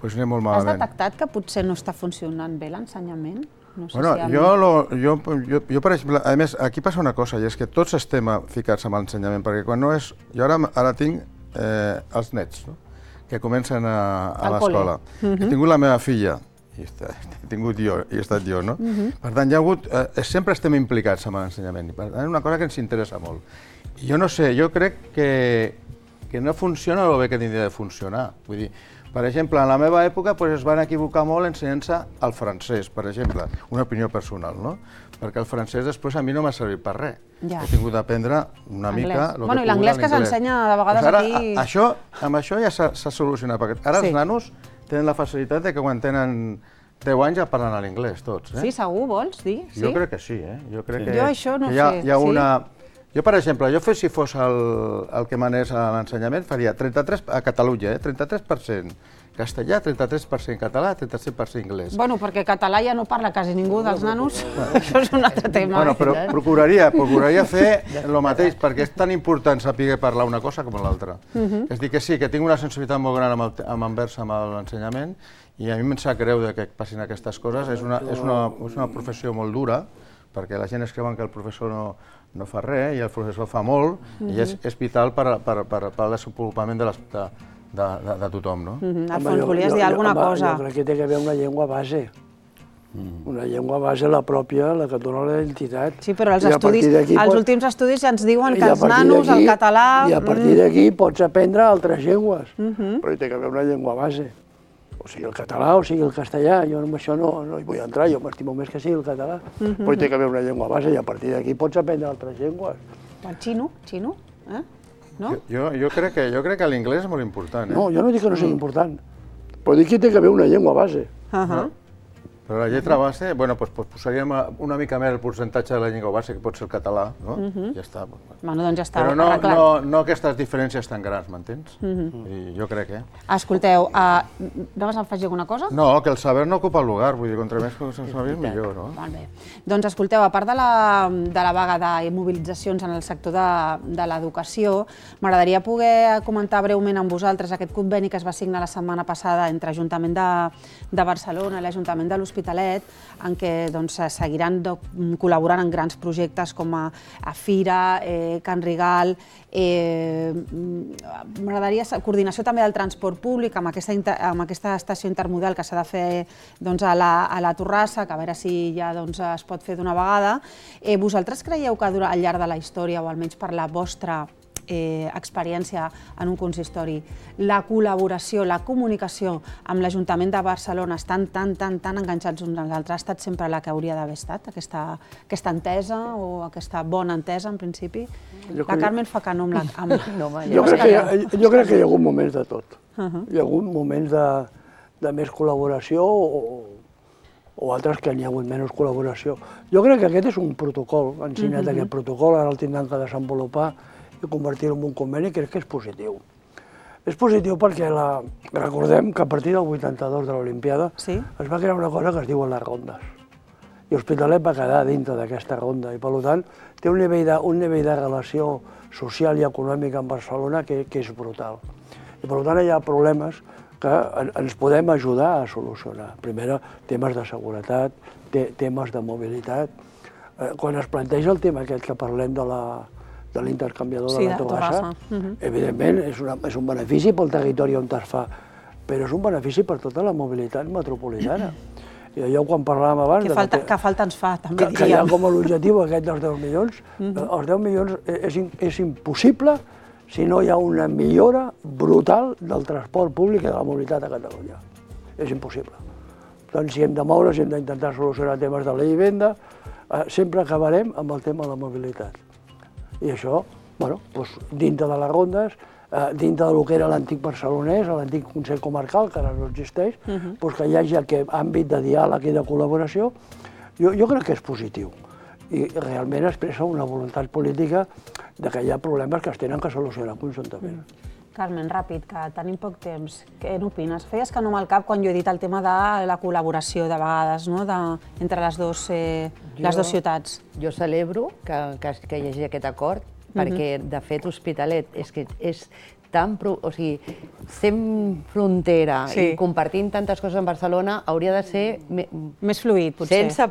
doncs anem molt malament. Has detectat que potser no està funcionant bé l'ensenyament? No sé bueno, si jo, lo, jo, jo, jo, per exemple, a més, aquí passa una cosa, i és que tots estem ficats amb l'ensenyament, perquè quan no és... Jo ara, ara tinc eh, els nets, no? Que comencen a, a l'escola. Uh-huh. He tingut la meva filla, i he tingut jo, i he estat jo, no? Uh-huh. Per tant, hi ha hagut, eh, sempre estem implicats amb l'ensenyament, i per tant és una cosa que ens interessa molt. I jo no sé, jo crec que, que no funciona el bé que tindria de funcionar. Vull dir, per exemple, en la meva època pues, es van equivocar molt ensenyant-se el francès, per exemple, una opinió personal, no? Perquè el francès després a mi no m'ha servit per res. Ja. He tingut d'aprendre una anglès. mica el bueno, que i l'anglès que s'ensenya de vegades pues ara, aquí... A, això, amb això ja s'ha solucionat, perquè ara sí. Els nanos tenen la facilitat de que quan tenen deu anys ja parlen a l'inglès, tots. Eh? Sí, segur, vols dir? Sí? Jo crec que sí, eh? Jo crec sí. que, jo això no que hi ha, sé. Hi ha sí? una... Jo, per exemple, jo si fos el, el que manés a l'ensenyament, faria trenta-tres a Catalunya, eh? trenta-tres per cent castellà, trenta-tres per cent català, trenta-set per cent anglès. Bueno, perquè català ja no parla quasi ningú dels nanos, això és un altre tema. Bueno, però procuraria, procuraria fer el mateix, perquè és tan important saber parlar una cosa com l'altra. Uh-huh. És dir, que sí, que tinc una sensibilitat molt gran amb, el, amb envers amb l'ensenyament, i a mi em sap greu que passin aquestes coses. És una, és una, és una professió molt dura, perquè la gent es creuen que el professor no, no fa res, i el professor fa molt, uh-huh. i és, és vital per, per, per, per al desenvolupament de les, de, de tothom, no? Alfons, volies dir alguna cosa? Jo crec que té que haver una llengua base. Una llengua base, la pròpia, la que et dona la identitat. Sí, però els últims estudis ja ens diuen que els nanos, el català... I a partir d'aquí pots aprendre altres llengües, però hi té que haver una llengua base. O sigui el català o sigui el castellà, jo amb això no hi vull entrar, jo m'estimo més que sigui el català, però hi té que haver una llengua base i a partir d'aquí pots aprendre altres llengües. El xino, xino, eh? Jo crec que l'inglès és molt important. No, jo no dic que no sigui important, però dic que hi té que haver una llengua base. Però la lletra base, bueno, doncs posaríem una mica més el percentatge de la llengua base, que pot ser el català, no? Ja està. Bueno, doncs ja està arreglat. Però no aquestes diferències tan grans, m'entens? Jo crec, eh? Escolteu, anaves a afegir alguna cosa? No, que el saber no ocupa el lugar, vull dir, contra més coses saber, millor, no? Molt bé. Doncs escolteu, a part de la vaga de mobilitzacions en el sector de l'educació, m'agradaria poder comentar breument amb vosaltres aquest conveni que es va signar la setmana passada entre l'Ajuntament de Barcelona i l'Ajuntament de l'Hospitalet, en què seguiran col·laborant en grans projectes com a Fira, Can Rigal. M'agradaria coordinació també del transport públic amb aquesta estació intermodal que s'ha de fer a la Torrassa, que a veure si ja es pot fer d'una vegada. Vosaltres creieu que al llarg de la història, o almenys per la vostra experiència en un consistori, la col·laboració, la comunicació amb l'Ajuntament de Barcelona estan tan, tan, tan enganxats uns als altres, ha estat sempre la que hauria d'haver estat, aquesta entesa o aquesta bona entesa, en principi? La Carmen fa que no amb la... Jo crec que hi ha hagut moments de tot. Hi ha hagut moments de més col·laboració o altres que n'hi ha hagut menys col·laboració. Jo crec que aquest és un protocol, han signat aquest protocol, ara el tindran que desenvolupar i convertir-ho en un conveni, crec que és positiu. És positiu perquè recordem que a partir del vuitanta-dos de l'Olimpiada es va crear una cosa que es diuen les rondes. I l'Hospitalet va quedar dintre d'aquesta ronda i, per tant, té un nivell de relació social i econòmica amb Barcelona que és brutal. I, per tant, hi ha problemes que ens podem ajudar a solucionar. Primer, temes de seguretat, temes de mobilitat. Quan es planteja el tema aquest que parlem de la de l'intercanviador de la Torrassa, evidentment és un benefici pel territori on es fa, però és un benefici per tota la mobilitat metropolitana. I allò quan parlàvem abans... Que falta ens fa, també diríem. Que hi ha com a l'objectiu aquest dels deu milions. Els deu milions és impossible si no hi ha una millora brutal del transport públic i de la mobilitat a Catalunya. És impossible. Per tant, si hem de moure, si hem d'intentar solucionar temes de la vivenda, sempre acabarem amb el tema de la mobilitat. I això, dintre de les rondes, dintre del que era l'antic barcelonès, l'antic Consell Comarcal, que ara no existeix, que hi hagi aquest àmbit de diàleg i de col·laboració, jo crec que és positiu. I realment expressa una voluntat política que hi ha problemes que es tenen que solucionar conjuntament. Carmen, ràpid, que tenim poc temps. Què n'opines? Feies que no amb el cap quan jo he dit el tema de la col·laboració, de vegades, entre les dues ciutats. Jo celebro que hi hagi aquest acord, perquè, de fet, Hospitalet és tan... O sigui, sent frontera i compartint tantes coses amb Barcelona, hauria de ser... Més fluid, potser. Sense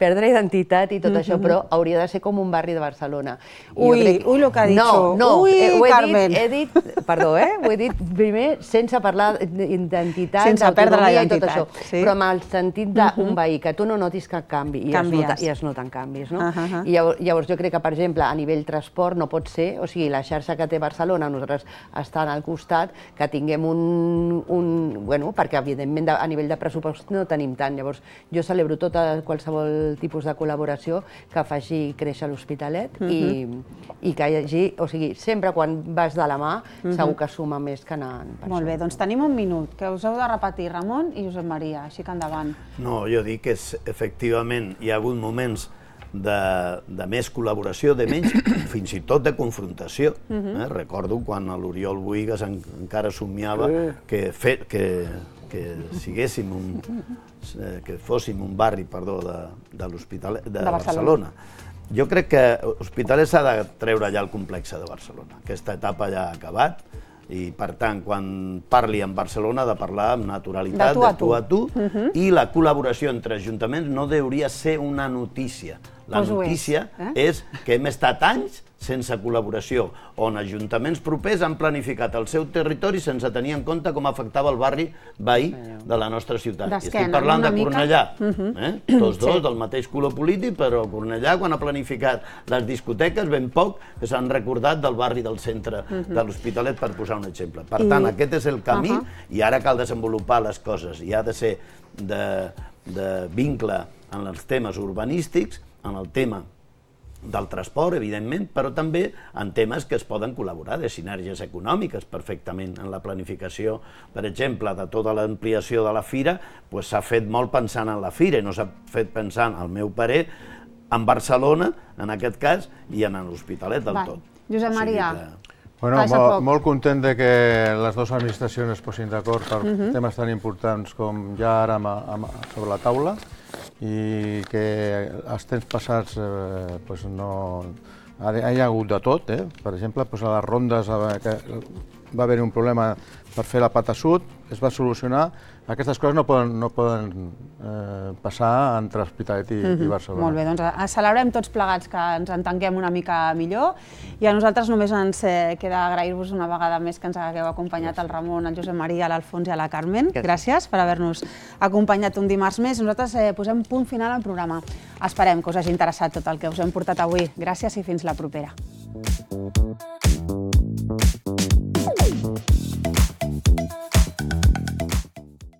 perdre identitat i tot això, però hauria de ser com un barri de Barcelona. Ui, ui, el que ha dit. No, no, ui, Carmen. He dit, perdó, eh? Ho he dit primer sense parlar d'identitat, sense perdre la identitat. Però amb el sentit d'un veí, que tu no notis cap canvi, i es noten canvis, no? I llavors jo crec que, per exemple, a nivell transport no pot ser, o sigui, la xarxa que té Barcelona, nosaltres estan al costat, que tinguem un... Bueno, perquè evidentment a nivell de pressupost no tenim tant. Llavors jo celebro tota qualsevol tipus de col·laboració que faci créixer l'Hospitalet i que hi hagi... O sigui, sempre quan vas de la mà segur que suma més que anant per això. Molt bé, doncs tenim un minut, que us heu de repetir, Ramon i Josep Maria, així que endavant. No, jo dic que efectivament hi ha hagut moments de més col·laboració, de menys, fins i tot de confrontació. Recordo quan l'Oriol Bohigas encara somiava que fóssim un barri de Barcelona. Jo crec que l'Hospitalet s'ha de treure ja el complex de Barcelona. Aquesta etapa ja ha acabat i, per tant, quan parli amb Barcelona ha de parlar amb naturalitat, de tu a tu, i la col·laboració entre ajuntaments no hauria de ser una notícia. La notícia és que hem estat anys sense col·laboració, on ajuntaments propers han planificat el seu territori sense tenir en compte com afectava el barri veí de la nostra ciutat. I estic parlant de Cornellà, tots dos del mateix color polític, però Cornellà, quan ha planificat les discoteques, ben poc que s'han recordat del barri del centre de l'Hospitalet, per posar un exemple. Per tant, aquest és el camí i ara cal desenvolupar les coses i ha de ser de vincle en els temes urbanístics, en el tema del transport, evidentment, però també en temes que es poden col·laborar, de sinergies econòmiques perfectament en la planificació. Per exemple, de tota l'ampliació de la fira, s'ha fet molt pensant en la fira i no s'ha fet pensant, al meu parer, en Barcelona, en aquest cas, i en l'Hospitalet del tot. Josep Maria. Bueno, molt content de que les dues administracions es posin d'acord per temes tan importants com ja ara sobre la taula i que els temps passats no... hi ha hagut de tot, per exemple, a les rondes va haver-hi un problema per fer la pata sud, es va solucionar. Aquestes coses no poden passar entre Hospitalet i Barcelona. Molt bé, doncs celebrem tots plegats que ens entenguem una mica millor i a nosaltres només ens queda agrair-vos una vegada més que ens hagueu acompanyat el Ramon, el Josep Maria, l'Alfons i la Carmen. Gràcies per haver-nos acompanyat un dimarts més. Nosaltres posem punt final al programa. Esperem que us hagi interessat tot el que us hem portat avui. Gràcies i fins la propera.